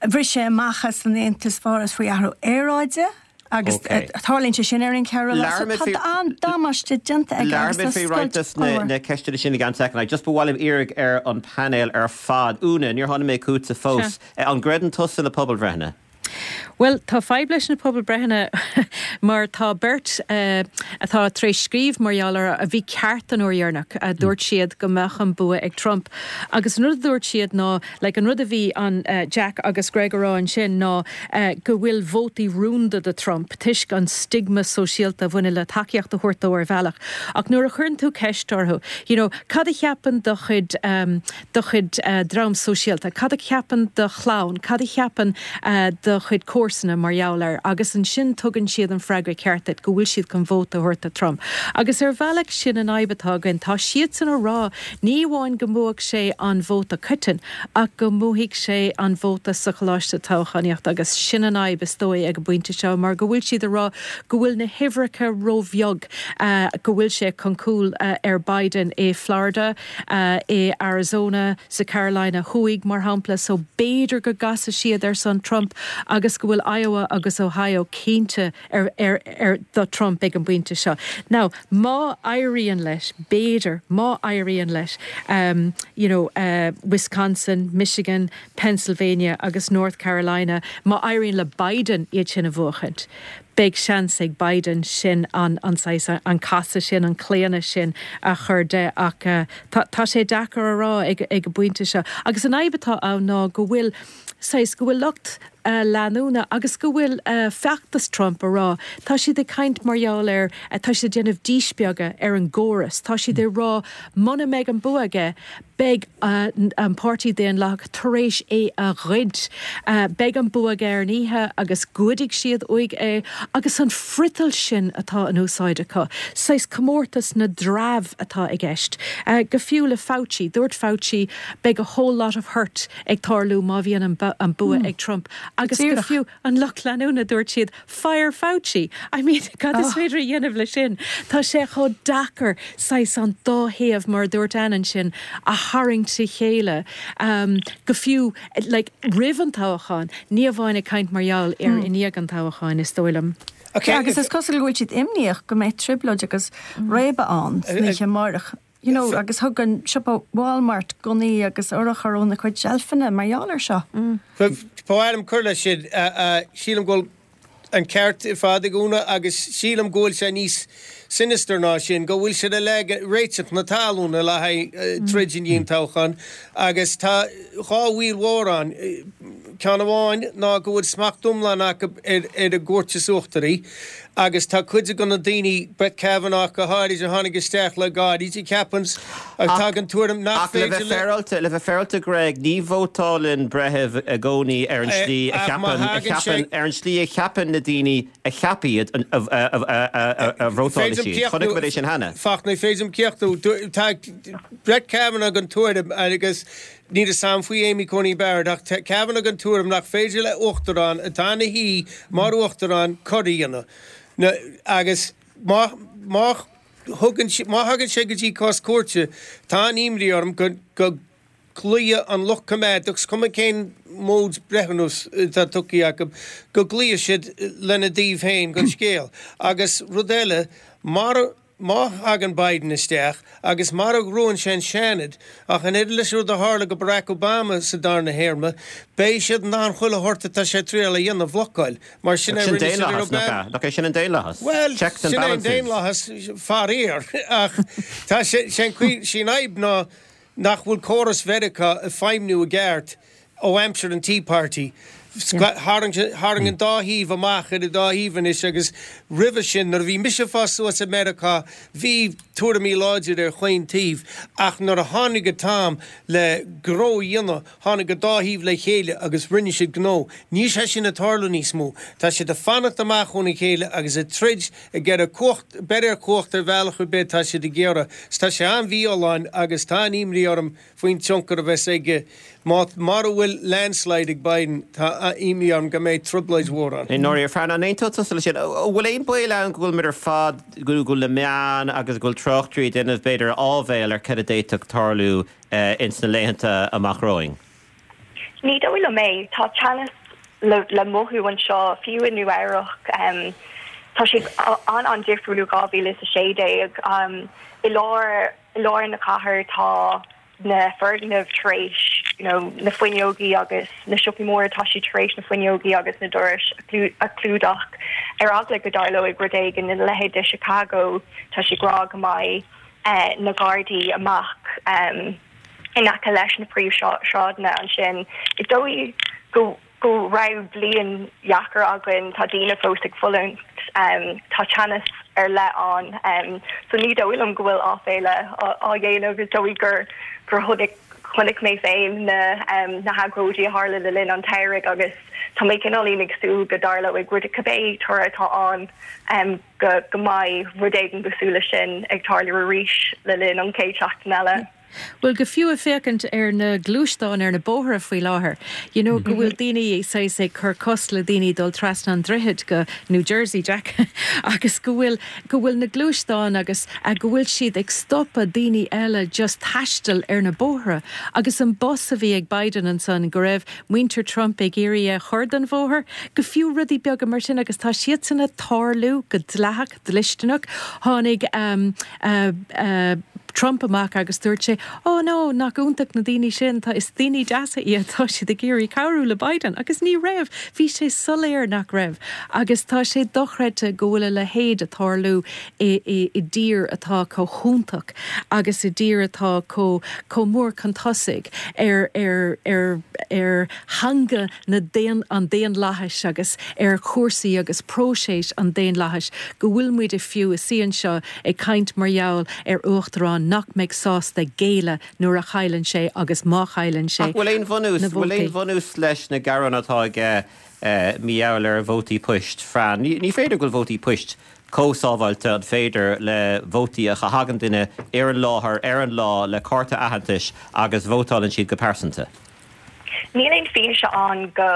Bhris sé amach as an Aontas Pháras faoi athrú aeráide agus tarlaíonn sé sin ar an cheathrú lá. So tá an-damáiste déanta aige agus tá Labhróimid faoi roinnt scoilt des na mhór. na ceisteanna sin i gceann soicind. Just ba mhaith liom iarraidh ar an painéal ar fad. Úna, níor tháinig mé chugatsa fós. An gcreideann tusa na pobalbhreitheanna? Bhuel, tá fadhb leis na pobalbreitheanna mar tá beirt atá tar éis scríobh mar gheall orthu a bhí ceart an uair dheireanach. Dúirt siad go mbeadh an bua ag Trump agus an rud a dúirt siad ná, like, an rud a bhí an Jack agus Greg a rá ansin ná go bhfuil vótaí rúnda do Trump toisc an stigma sóisialta a bhaineann le tacaíocht a thabhairt dó ar bhealach. Ach nuair a chuireann tú ceist orthu, you know, cad a cheapann do chuid, do chuid dream sóisialta, cad a cheapann do chlann, cad a cheapann do chuid comharsana mar gheall air agus ansin tugann siad an freagra ceart duit, go bhfuil siad chun vóta a thabhairt do Trump. Agus ar bhealach sin an fhadhb atá againn, tá siadsan a rá ní amháin go mbuafaidh sé an vóta coiteann ach go mbuafaidh sé an vóta sa choláiste toghchánaíochta agus sin an fhadhb is dóigh ag an bpointe seo mar go bhfuil siad a rá go bhfuil na huimhreacha róbheag, go bhfuil sé chun cúil ar Biden i Florida, i Arizona, sa Carolina Thuaidh mar shampla so b'fhéidir go gcasfaidh siad ar son Trump agus go bhfuil Iowa agus Ohio cinnte ar ar ar do Trump ag an bpointe seo. Now má éiríonn leis, b'fhéidir, má éiríonn leis um you know uh Wisconsin, Michigan, Pennsylvania agus North Carolina, má éiríonn le Biden iad sin a bhuachaint, beidh seans ag Biden sin an an saghas an casadh sin, an claonadh sin a chur de ach tá tá sé deacair a rá ag ag an bpointe seo. Agus an fhadhb atá ann ná go bhfuil saghas go bhfuil lucht leanúna agus go bhfuil feachtas Trump a rá, tá siad ag caint mar gheall ar, tá siad ag déanamh díspeagadh ar an gcóras, tá siad ag rá muna mbeidh an bua aige, beidh an Páirtí Daonlathach tar éis é a ghoid, beidh an bua aige ar an oíche agus goidfidh siad uaidh é agus an friotal sin atá in úsáid acu, saghas comórtas na dtreabh atá i gceist. Go fiú le Fauci, dúirt Fauci beidh a whole lot of hurt ag tarlú má bhíonn an bua ag Trump agus go fiú an lucht leanúna dúirt siad fire Fauci! I mean cad is féidir a dhéanamh leis sin? Tá sé chomh deacair saghas an dá thaobh mar a dúirt Anne ansin a tharraingt le chéile go fiú like roimh an toghchán, ní amháin ag caint mar gheall ar i ndiaidh an toghcháin is dóigh liom. Agus is cosúil go bhfuil siad imníoch go mbeidh trioblóid agus réabadh ann san oíche amárach. You know, agus thug an siopa Walmart gunnaí agus urchair óna cuid seilfeanna mar gheall air seo. Ba mhaith liom cur leis sin. Sílim go bhfuil an ceart ar fad ag Úna agus sílim go bhfuil sé níos sinister ná sin, go bhfuil siad ag leagan réiteach na talún le haghaidh troid i ndiaidh an toghcháin agus tá dhá bhaol mhór ann. Ceann amháin ná go bhfuil smacht iomlán acu ar an gcúirt is uachtaraí Agus tá cuid de na daoine, Brett Kavanaugh go háirid, a tháinig isteach le gairid, a cheapann atá den tuairim nach Ach le bheith féidir le. féaráilte, le bheith féaráilte Greg, ní vótálann breitheamh i gcónaí ar an slí a Ach má cheapann, a thagann sé. cheapann, ar an slí a cheapann na daoine a cheap iad a, a, a, a, a, a vótálfaidh Féidir siad. Chonaic muid é sin cheana. Fachtna, féidir céachtú. Tá Brett Kavanaugh den tuairim agus níl a fhios agam faoi Amy Coney Barrett ach tá Kavanaugh den tuairim nach féidir le uachtarán atá ina shuí mar uachtarán coir a dhéanamh. Na, agus má má thugann sé má thagann sé go dtí cás cúirte, tá an imní orm go go gcloífidh an lucht coimeádach, is cuma cén móid breithiúnas atá tugtha acu, go gcloífidh siad lena dtaobh féin den scéal. Agus rud eile, mar má thagann Biden isteach agus mar a ghnóthaíonn sé an Seanad, ach an oiread leis an rud a tharla go Barack Obama sa darna théarma, beidh siad in ann chuile shórt atá sé ag triail a dhéanamh a bhlocáil. Mar sin Sin a rinne siad ar daonlathas, nach Obama. ea? Nach é sin an daonlathas? Well, Checks and sin é an balances. daonlathas faraor ach tá sé sin cuí sin fadhb ná nach bhfuil córas Mheiriceá ag feidhmiú i gceart ó aimsir an Tea Party. Tharraing tharraing an dá thaobh amach ar an dá thaobh anois agus roimhe sin nuair a bhí mise ag fás suas i Meiriceá bhí tuairimí láidir ar chaon taobh ach nuair a tháinig an t-am le gnó a dhéanamh tháinig an dá thaobh le chéile agus rinne siad gnó. Níl sé sin ag tarlú níos mó. Tá siad ag fanacht amach óna chéile agus ag troid ag iarraidh cumhacht breith ar chumhacht ar bhealach ar bith tá siad ag iarraidh. Tá sé an-mhífholláin agus tá an imní orm faoin tionchar a bheas aige má mar a bhfuil landslide ag Biden tá imní orm go mbeidh trioblóid mhór ann. I ndáiríre Fran an aontóidh tusa leis sin, an bhfuil aon baol ann go bhfuil muid ar fad go bhfuil na meáin agus go bhfuil tráchtairí ag déanamh b'fhéidir áibhéil ar cad a d'fhéadfadh tarlú ins na laethanta amach romhainn. Ní dóigh liom é tá teannas le, le mothú anseo fiú i Nua-Eabhrac um, tá sé an an difriúil dhá mhíle is a sé déag um, i lár i lár na cathair tá na foirgnimh tar éis you know, na fuinneogaí agus na siopaí mór tá siad tar éis na fuinneogaí agus na dorais a chlúdach ar eagla go dtarlóidh rud éigin ina leithéid de Chicago tá sé rá go mbeidh eh, na gardaí amach um, in aice leis na príomhshráideanna ansin. Is dóigh go go raibh bliain dheacair againn tá daoine fós ag fulaingt um, tá teannas ar leith ann um, so ní dóigh liom go bhfuil áibhéil á dhéanamh is dóigh gur gur chonaic chonaic mé féin na um, na hagóidí a tharla le linn an tsamhraidh agus tá mé cineáilín ag súil go dtarlóidh rud cibé toradh atá ann um, go go mbeidh rud éigin cosúil leis sin ag tarlú arís le linn an chéad seachtain eile. Well go fiú ag féachaint ar na gluaisteáin ar na bóithre faoi láthair. You know, go bhfuil daoine saghas ag cur cosc le daoine dul trasna an droichead go New Jersey Jack agus go bhfuil go bhfuil na gluaisteáin agus uh, go bhfuil siad ag stopadh daoine eile just taisteal ar na bóithre agus an bus a bhí ag Biden ansan go raibh muintir Trump ag iarraidh a chur den bhóthar, go fiú rudaí beaga mar sin agus tá siad sin ag tarlú go dleathach dlisteanach tháinig um, uh, uh, Trump amach agus dúirt sé ó no nach iontach na daoine sin tá is daoine deasa iad tá siad ag iarraidh cabhrú le Biden agus ní raibh bhí sé soiléir nach raibh agus tá sé dochreidte go bhfuil a leithéid ag tarlú i, i, i dtír atá chomh hiontach agus i dtír atá chomh chomh mór chun tosaigh ar ar ar ar theanga na daon an daonlathais agus ar chúrsaí agus próiseas an daonlathais go bhfuil muid i fiú i sí anseo ag caint mar gheall ar uachtarán nach mbeidh sásta géilleadh nuair a chailleann sé agus má chailleann sé. Ach bhfuil aon bhunús na bhfuil aon vótaí. bhunús leis na gearáin atá aige eh, mar gheall ar vótaí poist Fran. Ní, ní féidir go bhfuil vótaí poist chomh sábháilte an féidir le vótaí a thagann duine ar an láthair ar an lá le cárta aitheantais agus vótálann siad go pearsanta. Níl aon fianaise ann go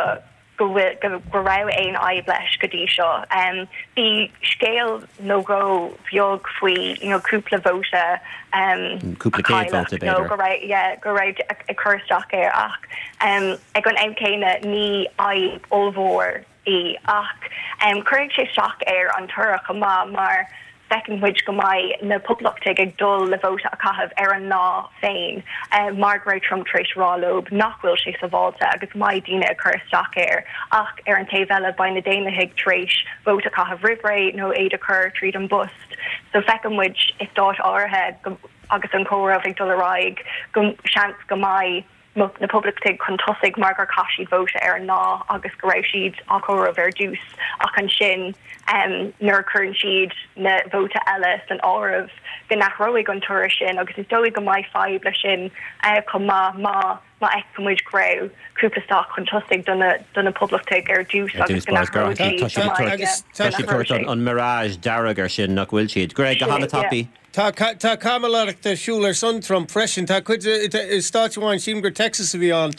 go bhfuil go, go raibh aon fhadhb leis go dtí seo. Um, bhí scéal nó dhó bheag faoi you know, cúpla vóta um, Cúpla a céad cailleadh, vóta, nó b'fhéidir. go raibh yeah, go raibh ag ag cur isteach air ach um, ag an am céanna ní fhadhb ollmhór í ach um, cuirfidh sé isteach ar an toradh chomh maith mar feiceann muid go mbeidh na poblachtaigh ag dul le vóta a chaitheamh ar an lá féin um, mar go raibh Trump tar éis rá leo nach bhfuil sé sábháilte agus mbeidh daoine ag cur isteach air ach ar an taobh eile beidh na Daonlathaigh tar éis vóta a chaitheamh roimh ré nó iad a chur tríd an bpost. So feiceann muid i stáit áirithe go, agus an comhaireamh ag dul ar aghaidh go seans go mbeidh na Poblachtaigh chun tosaigh mar gur chaith siad vóta ar an lá agus go raibh siad á chomhaireamh ar dtús ach ansin um, nuair a chuireann siad na vóta eile san áireamh go n-athróidh an toradh sin agus is dóigh go mbeidh fadhb leis sin uh, chomh maith má má fheicimid go raibh cúpla stát chun tosaigh do na do na Poblachtaigh ar dtús agus go n-athróidh siad an mirage dearg ar sin nach bhfuil siad. Greg go han-tapaidh. Tá tá caimiléireacht ar siúl ar son Trump freisin tá cuid stáit amháin sílim gur Texas a bhí ann.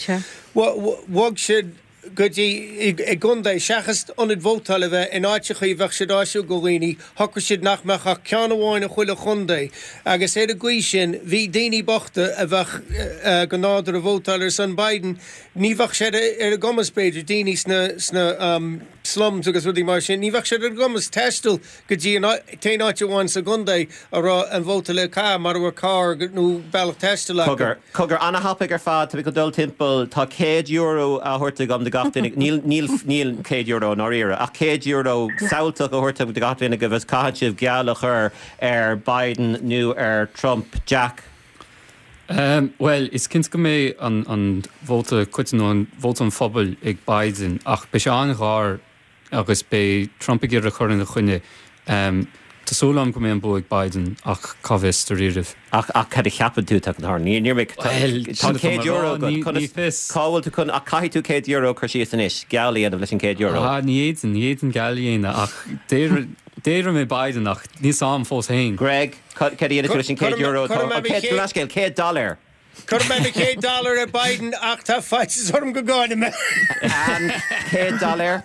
Bhog siad go dtí i gcontae seachas ionad vótála a bheith in áiteachaí bheadh siad áisiúil do dhaoine, shocraigh siad nach mbeadh ach ceann amháin i chuile chontae agus ar an gcaoi sin bhí daoine bochta a bheadh go nádúrtha ag vótáil ar son Biden, ní bheadh sé ar a gcumas b'fhéidir, daoine sna sna slums agus rudaí mar sin, ní bheadh sé ar a gcumas taisteal go dtí an t-aon áit amháin sa gcontae a raibh an vóta le caitheamh mura raibh carr nó bealach taistil acu. Cogar, cogar, ana-thapaidh ar fad, tá mé chun dul timpeall, tá céad euro á thabhairt agam do gach duine, níl, níl, níl céad euro i ndáiríre, ach céad euro samhaltach á thabhairt agam do gach duine agaibh is caithfidh sibh geall a chur ar Biden nó ar Trump. Jack. Bhuel, is cinnte go mbeidh an an vóta coiteann nó an vóta an phobail ag Biden ach beidh sé an-ghar agus beidh Trump ag iarraidh cur ina choinne. Tá súil agam go mbeidh an bua ag Biden ach cá bhfios, dáiríribh. Ach ach cad a cheapann tú atá chun tarlú? Ní níor mé Bhuel, tá sin atá céad mé a euro rá, agat, ní conas ní fios. cá bhfuil tú chun ach caithfidh tú céad euro a chur síos anois, geall a dhéanamh leis an céad euro. Ah, ní fhéadfainn, ní fhéadfainn geall a dhéanamh ach déarfainn déarfaidh mé Biden ach níl 's a'm fós féin. Greg, cad a dhéanfaidh tú leis an céad euro atá, Cuirfidh mé mo céad, chéad leathscéal, céad dollar? Cuirfidh mé mo chéad dollar ar Biden ach tá faitíos orm go gcaillfidh mé. Ann, céad dollar?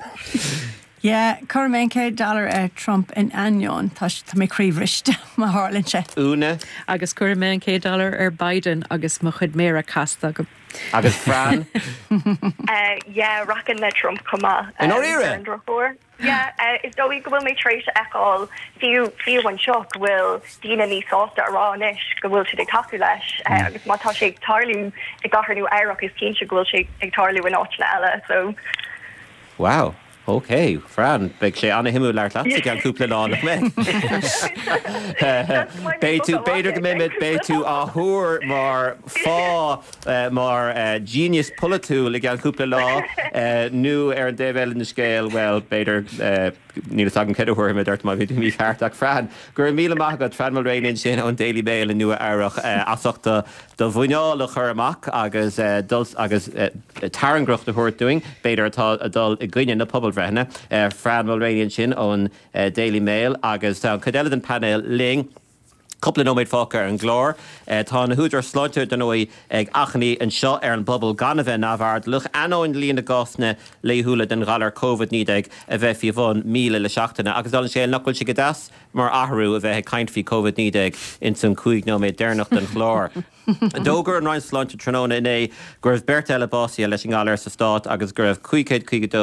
Yeah, cuirfidh mé an céad dollar ar Trump in ainneoin tá tá mé croíbhriste má tharlaíonn sé. Úna? Agus cuirfidh mé an céad dollar ar Biden agus mo chuid méara casta agam. Agus Fran? Uh, yeah, rachainn le Trump chomh maith. I ndáiríre? Ar an drochuair. Yeah, uh, is dóigh go bhfuil mé tar éis a fheiceáil fiú fiú anseo go bhfuil daoine níos sásta a rá anois go bhfuil siad ag tacú leis uh, agus má tá sé ag tarlú i gcathair Nua Eabhrac is cinnte go bhfuil sé ag tarlú in áiteanna eile so Wow. Ok, Fran, beidh sé an-shuimiúil labhairt leat i gceann cúpla lá nach mbeidh? Beidh tú, b'fhéidir go mbeidh, beidh tú á thuar mar fáth, mar genius polaitiúil i gceann cúpla lá nó ar an dtaobh eile den scéal, bhuel, b'fhéidir, níl fhios agam céard a thabharfaidh muid ort má bhí tú mícheart ach Fran, go raibh míle maith agat, Fran Mulraney ansin ón Daily Mail i Nua Eabhrac as ucht do do mhuineál a chur amach agus dul agus tairngreacht a thabhairt dúinn, b'fhéidir atá ag dul i gcoinne na pobalbhreitheanna. Fran Mulraney ansin ón Daily Mail agus tá an chuid eile den painéal linn. Cúpla nóiméad fágtha ar an gclár. Tá na húdaráis sláinte, dar ndóigh, ag achainí anseo ar an bpobal gan a bheith neamhairdeallach, ainneoin líon na gcásanna laethúla den ghalar Covid naoi déag a bheith faoi bhun míle le seachtain. Agus dála an scéil, nach bhfuil sé go deas mar athrú a bheith ag caint faoi Covid naoi déag ins an cúig nóiméad deireanach den chlár. D'fhógair an Roinn Sláinte tráthnóna inné go raibh beirt eile básaithe leis an ngalar sa stát agus go raibh cúig chéad caoga dó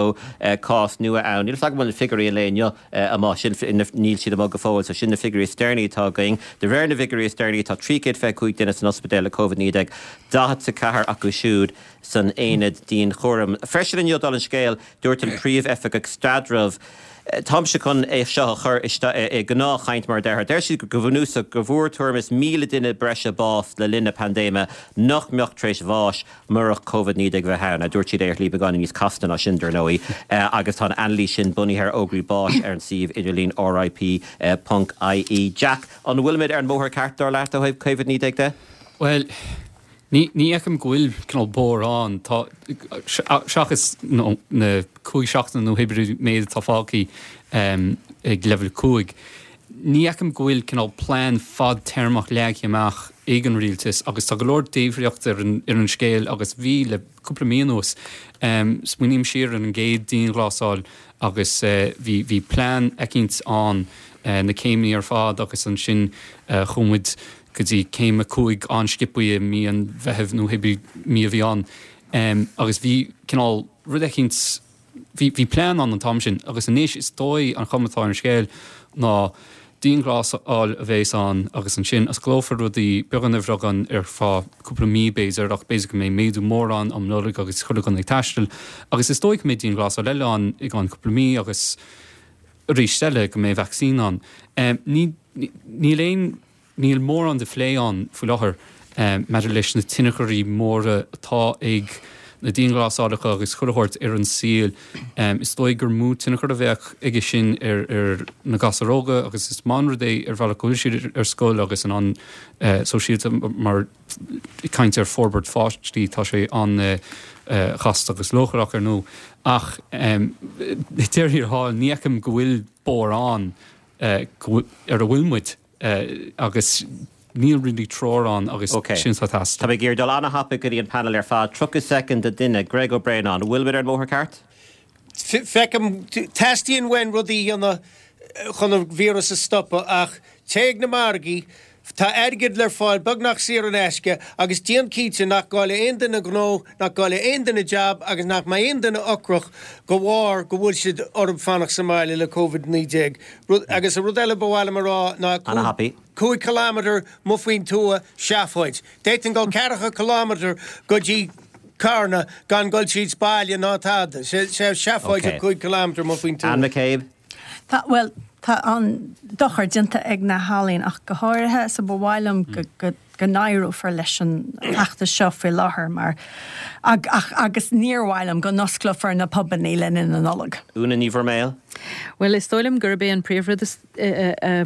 cás nua ann. Níl fhios agam an bhfuil na figiúirí an lae inniu amuigh, sin, níl siad amuigh go fóill, so sin na figiúirí is deireanaí atá againn. De réir na bhfigiúirí is deireanaí tá trí chéad fiche cúig duine san ospidéal le Covid naoi déag, daichead is a ceathair acu siúd san aonad dianchúraim. Freisin inniu, dála an scéil, dúirt an Príomh-Oifigeach Staidrimh, Táimse chun é seo a chur i ngnáthchaint mar a déarfá. Deir siad go bunúsach go bhfuair tuairim is míle duine breise bás le linn na paindéime nach mbeadh tar éis bháis murach Covid naoi déag a bheith ann. Dúirt siad é ar shlí beagáinín níos casta ná sin, dar ndóigh, agus tá an anailís sin bunaithe ar fhógraí báis ar an suíomh idirlín RIP ponc IE. Jack, an bhfuilimid ar an mbóthar ceart, dar leat, ó thaobh Covid naoi déag de? Bhuel, Ní ní fheicim go bhfuil cineál bóthar ann. Tá, seachas na cúig seachtaine nó hé méid atá fágtha ag leibhéal cúig, ní fheicim go bhfuil cineál plean fadtéarmach leagtha amach ag an rialtas agus tá go leor débhríocht ar an ar an scéal agus bhí le cúpla mí anuas. Smaoiním siar ar an gcéad dianghlasáil agus bhí bhí plean eicínt ann, na céimeanna ar fad agus ansin chuaigh muid go dtí céim a cúig an-sciobtha i mí an Mheithimh nó hébrí mí a bhí ann agus bhí cineál rud eicínt, bhí, bhí plean ann an t-am sin agus anois is dóigh an chuma atá ar an scéal ná dianghlasáil a bheas ann agus ansin osclófar rudaí beagán ar bheagán ar feadh cúpla mí b'fhéidir ach b'fhéidir go mbeidh méadú mór ann um Nollaig agus chuile dhuine ag taisteal agus is dóigh go mbeidh dianghlasáil eile ann i gceann cúpla mí agus arís eile go mbeidh vacsaín ann. Ní, níl aon. Níl mórán de phlé ann faoi láthair maidir leis na tionchairí móra atá ag na dianghlasálacha agus chuile shórt ar an saol. Is dóigh gur mó tionchar a bheadh aige sin ar ar na gasúir óga agus is maith an rud é ar bhealach go bhfuil siad ar scoil agus in ann sóisialta mar ag caint ar forbairt pháistí tá sé an-chasta agus leochaileach ar ndóigh ach ag deireadh thiar thall ní fheicim go bhfuil bóthar ann ar a bhfuil muid agus níl really treoir ann agus sin atá ag teastáil. Tá mé ag iarraidh dul an-thapaidh go dtí an panel ar fad. tríocha soicind an duine. Greg Ó Braonáin, an bhfuil muid ar an mbóthar ceart? Feicim, teastaíonn uainn rudaí a dhéanamh chun an víreas a stopadh ach téigh ag na margaí, tá airgead le fáil beagnach saor in aisce agus déan cinnte nach gcaillfidh aon duine gnó, nach gcaillfidh aon duine jab agus nach mbeidh aon duine ocrach de bharr go bhfuil siad orthu fanacht sa mbaile le Covid a naoi déag. Agus an rud eile ba mhaith liom a rá ná cúig kilometre amuigh faoin tuath, seafóid. D'fhéadfainn dul ceathracha kilometre go dtí Carna gan dul tríd baile ná tada. Sé seafóid cúig kilometre amuigh faoin tuath. Anne McCabe. Tá, bhuel, tá an-dochar déanta ag na healaíona ach go háirithe so ba mhaith liom go, go, go n-éireofar leis an fheachtas seo faoi láthair mar, ach, agus níor mhaith liom go n-osclófar na pubannaí le linn na Nollag. Úna Ní Bhroiméil. Bhuel, is dóigh liom gurb é an príomhrud is, a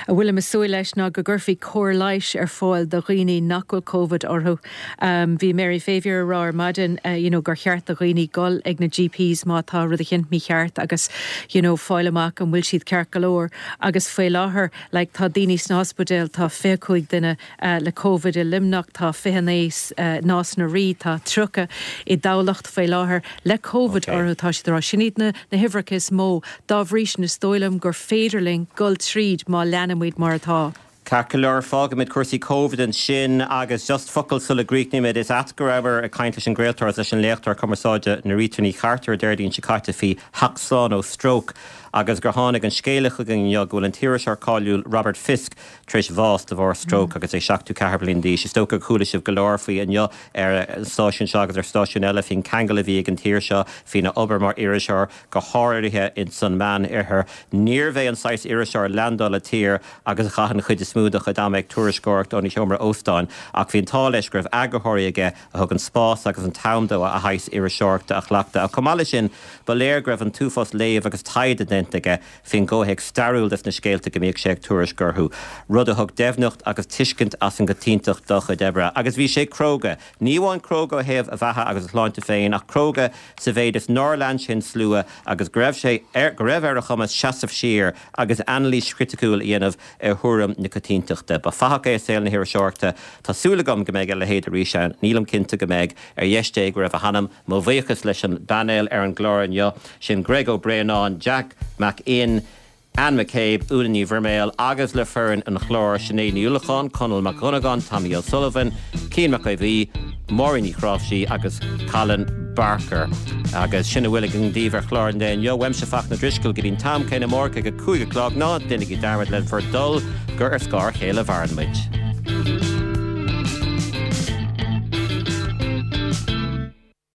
bhfuilim ag súil leis ná go gcuirfí cóir leighis ar fáil do dhaoine nach bhfuil Covid orthu. Bhí Mary Favier ag rá ar maidin you know gur cheart do dhaoine dul ag na GPs má tá rud eicínt mícheart agus you know fáil amach an bhfuil siad ceart go leor agus faoi láthair like tá daoine sna hospidéil, tá fiche cúig duine le Covid i Luimneach, tá fiche naoi i Nás na Rí, tá tríocha i dTamhlacht faoi láthair le Covid orthu, tá siad ag rá sin iad na huimhreacha is mó. Dá bhrí sin is dóigh liom gur féidir linn dul tríd má leanaimid mar atá. Ceart go leor, fágfaimid cúrsaí Covid ansin agus just focal sula gcríochnaímid, is ait go rabhamar ag caint leis an gcraoltóir agus leis an léachtóir cumarsáide Norita Ní Chartúir Déardaoin seo caite faoi theacht slán ó stróc agus gur tháinig an scéala chugainn inniu go bhfuil an t-iriseoir cáiliúil Robert Fisk tar éis bháis de bharr stróc agus é seachtó ceathair bliain d'aois. Is dócha gur chuala sibh go leor faoi inniu ar an stáisiún seo agus ar stáisiúin eile faoin ceangal a bhí ag an tír seo faoina obair mar iriseoir, go háirithe ins an Meán-Oirthear. Níorbh é an saghas iriseoir a leaindeáil i tír agus a chaith an chuid is mó dá chuid ama ag tuairisceoireacht óna sheomra óstáin, ach bhí an t-ádh leis go raibh eagarthóirí aige a thug an spás agus an t-am dó a shaghas iriseoireachta a chleachtadh. Ach chomh maith leis sin, ba léir go raibh an t-uafás léamh agus taighde déanta aige faoin gcomhthéacs stairiúil des na scéalta go mbíodh sé ag tuairisc orthu, rud a thug doimhneacht agus tuiscint as an gcoitiantacht dá chuid oibre. Agus bhí sé cróga. Ní amháin cróga ó thaobh a bheatha agus a shláinte féin, ach cróga sa mhéid is nár lean sé an slua agus go raibh sé ar, go raibh ar a chumas seasamh siar agus anailís chriticiúil a dhéanamh ar thuairim na coitiantachta. Ba fathach é i saol na hiriseoireachta. Tá súil agam go mbeidh a leithéid arís ann. Nílim cinnte go mbeidh. Ar dheis Dé go raibh a hanam. Mo bhuíochas leis an bpainéal ar an gclár inniu, sin Greg Ó Braonáin, Jack Mac Fhinn, Anne McCabe, Úna Ní Bhroiméil agus le foireann an chláir, Sinéad Ní Uallacháin, Conall Mac Dhonnagáin, Tommy O'Sullivan, Cian Mac Aodha Bhuí, Máirín Ní Chráimhsí agus Colin Barker. Agus sin a bhfuil againn daoibh ar chlár an lae inniu. Uaimse Fachtna Drisceoil go dtí an t-am céanna amárach ag a cúig a chlog. Ná déanaigí dearmad le bhur dtoil gur ar scáth a chéile a mhaireann muid.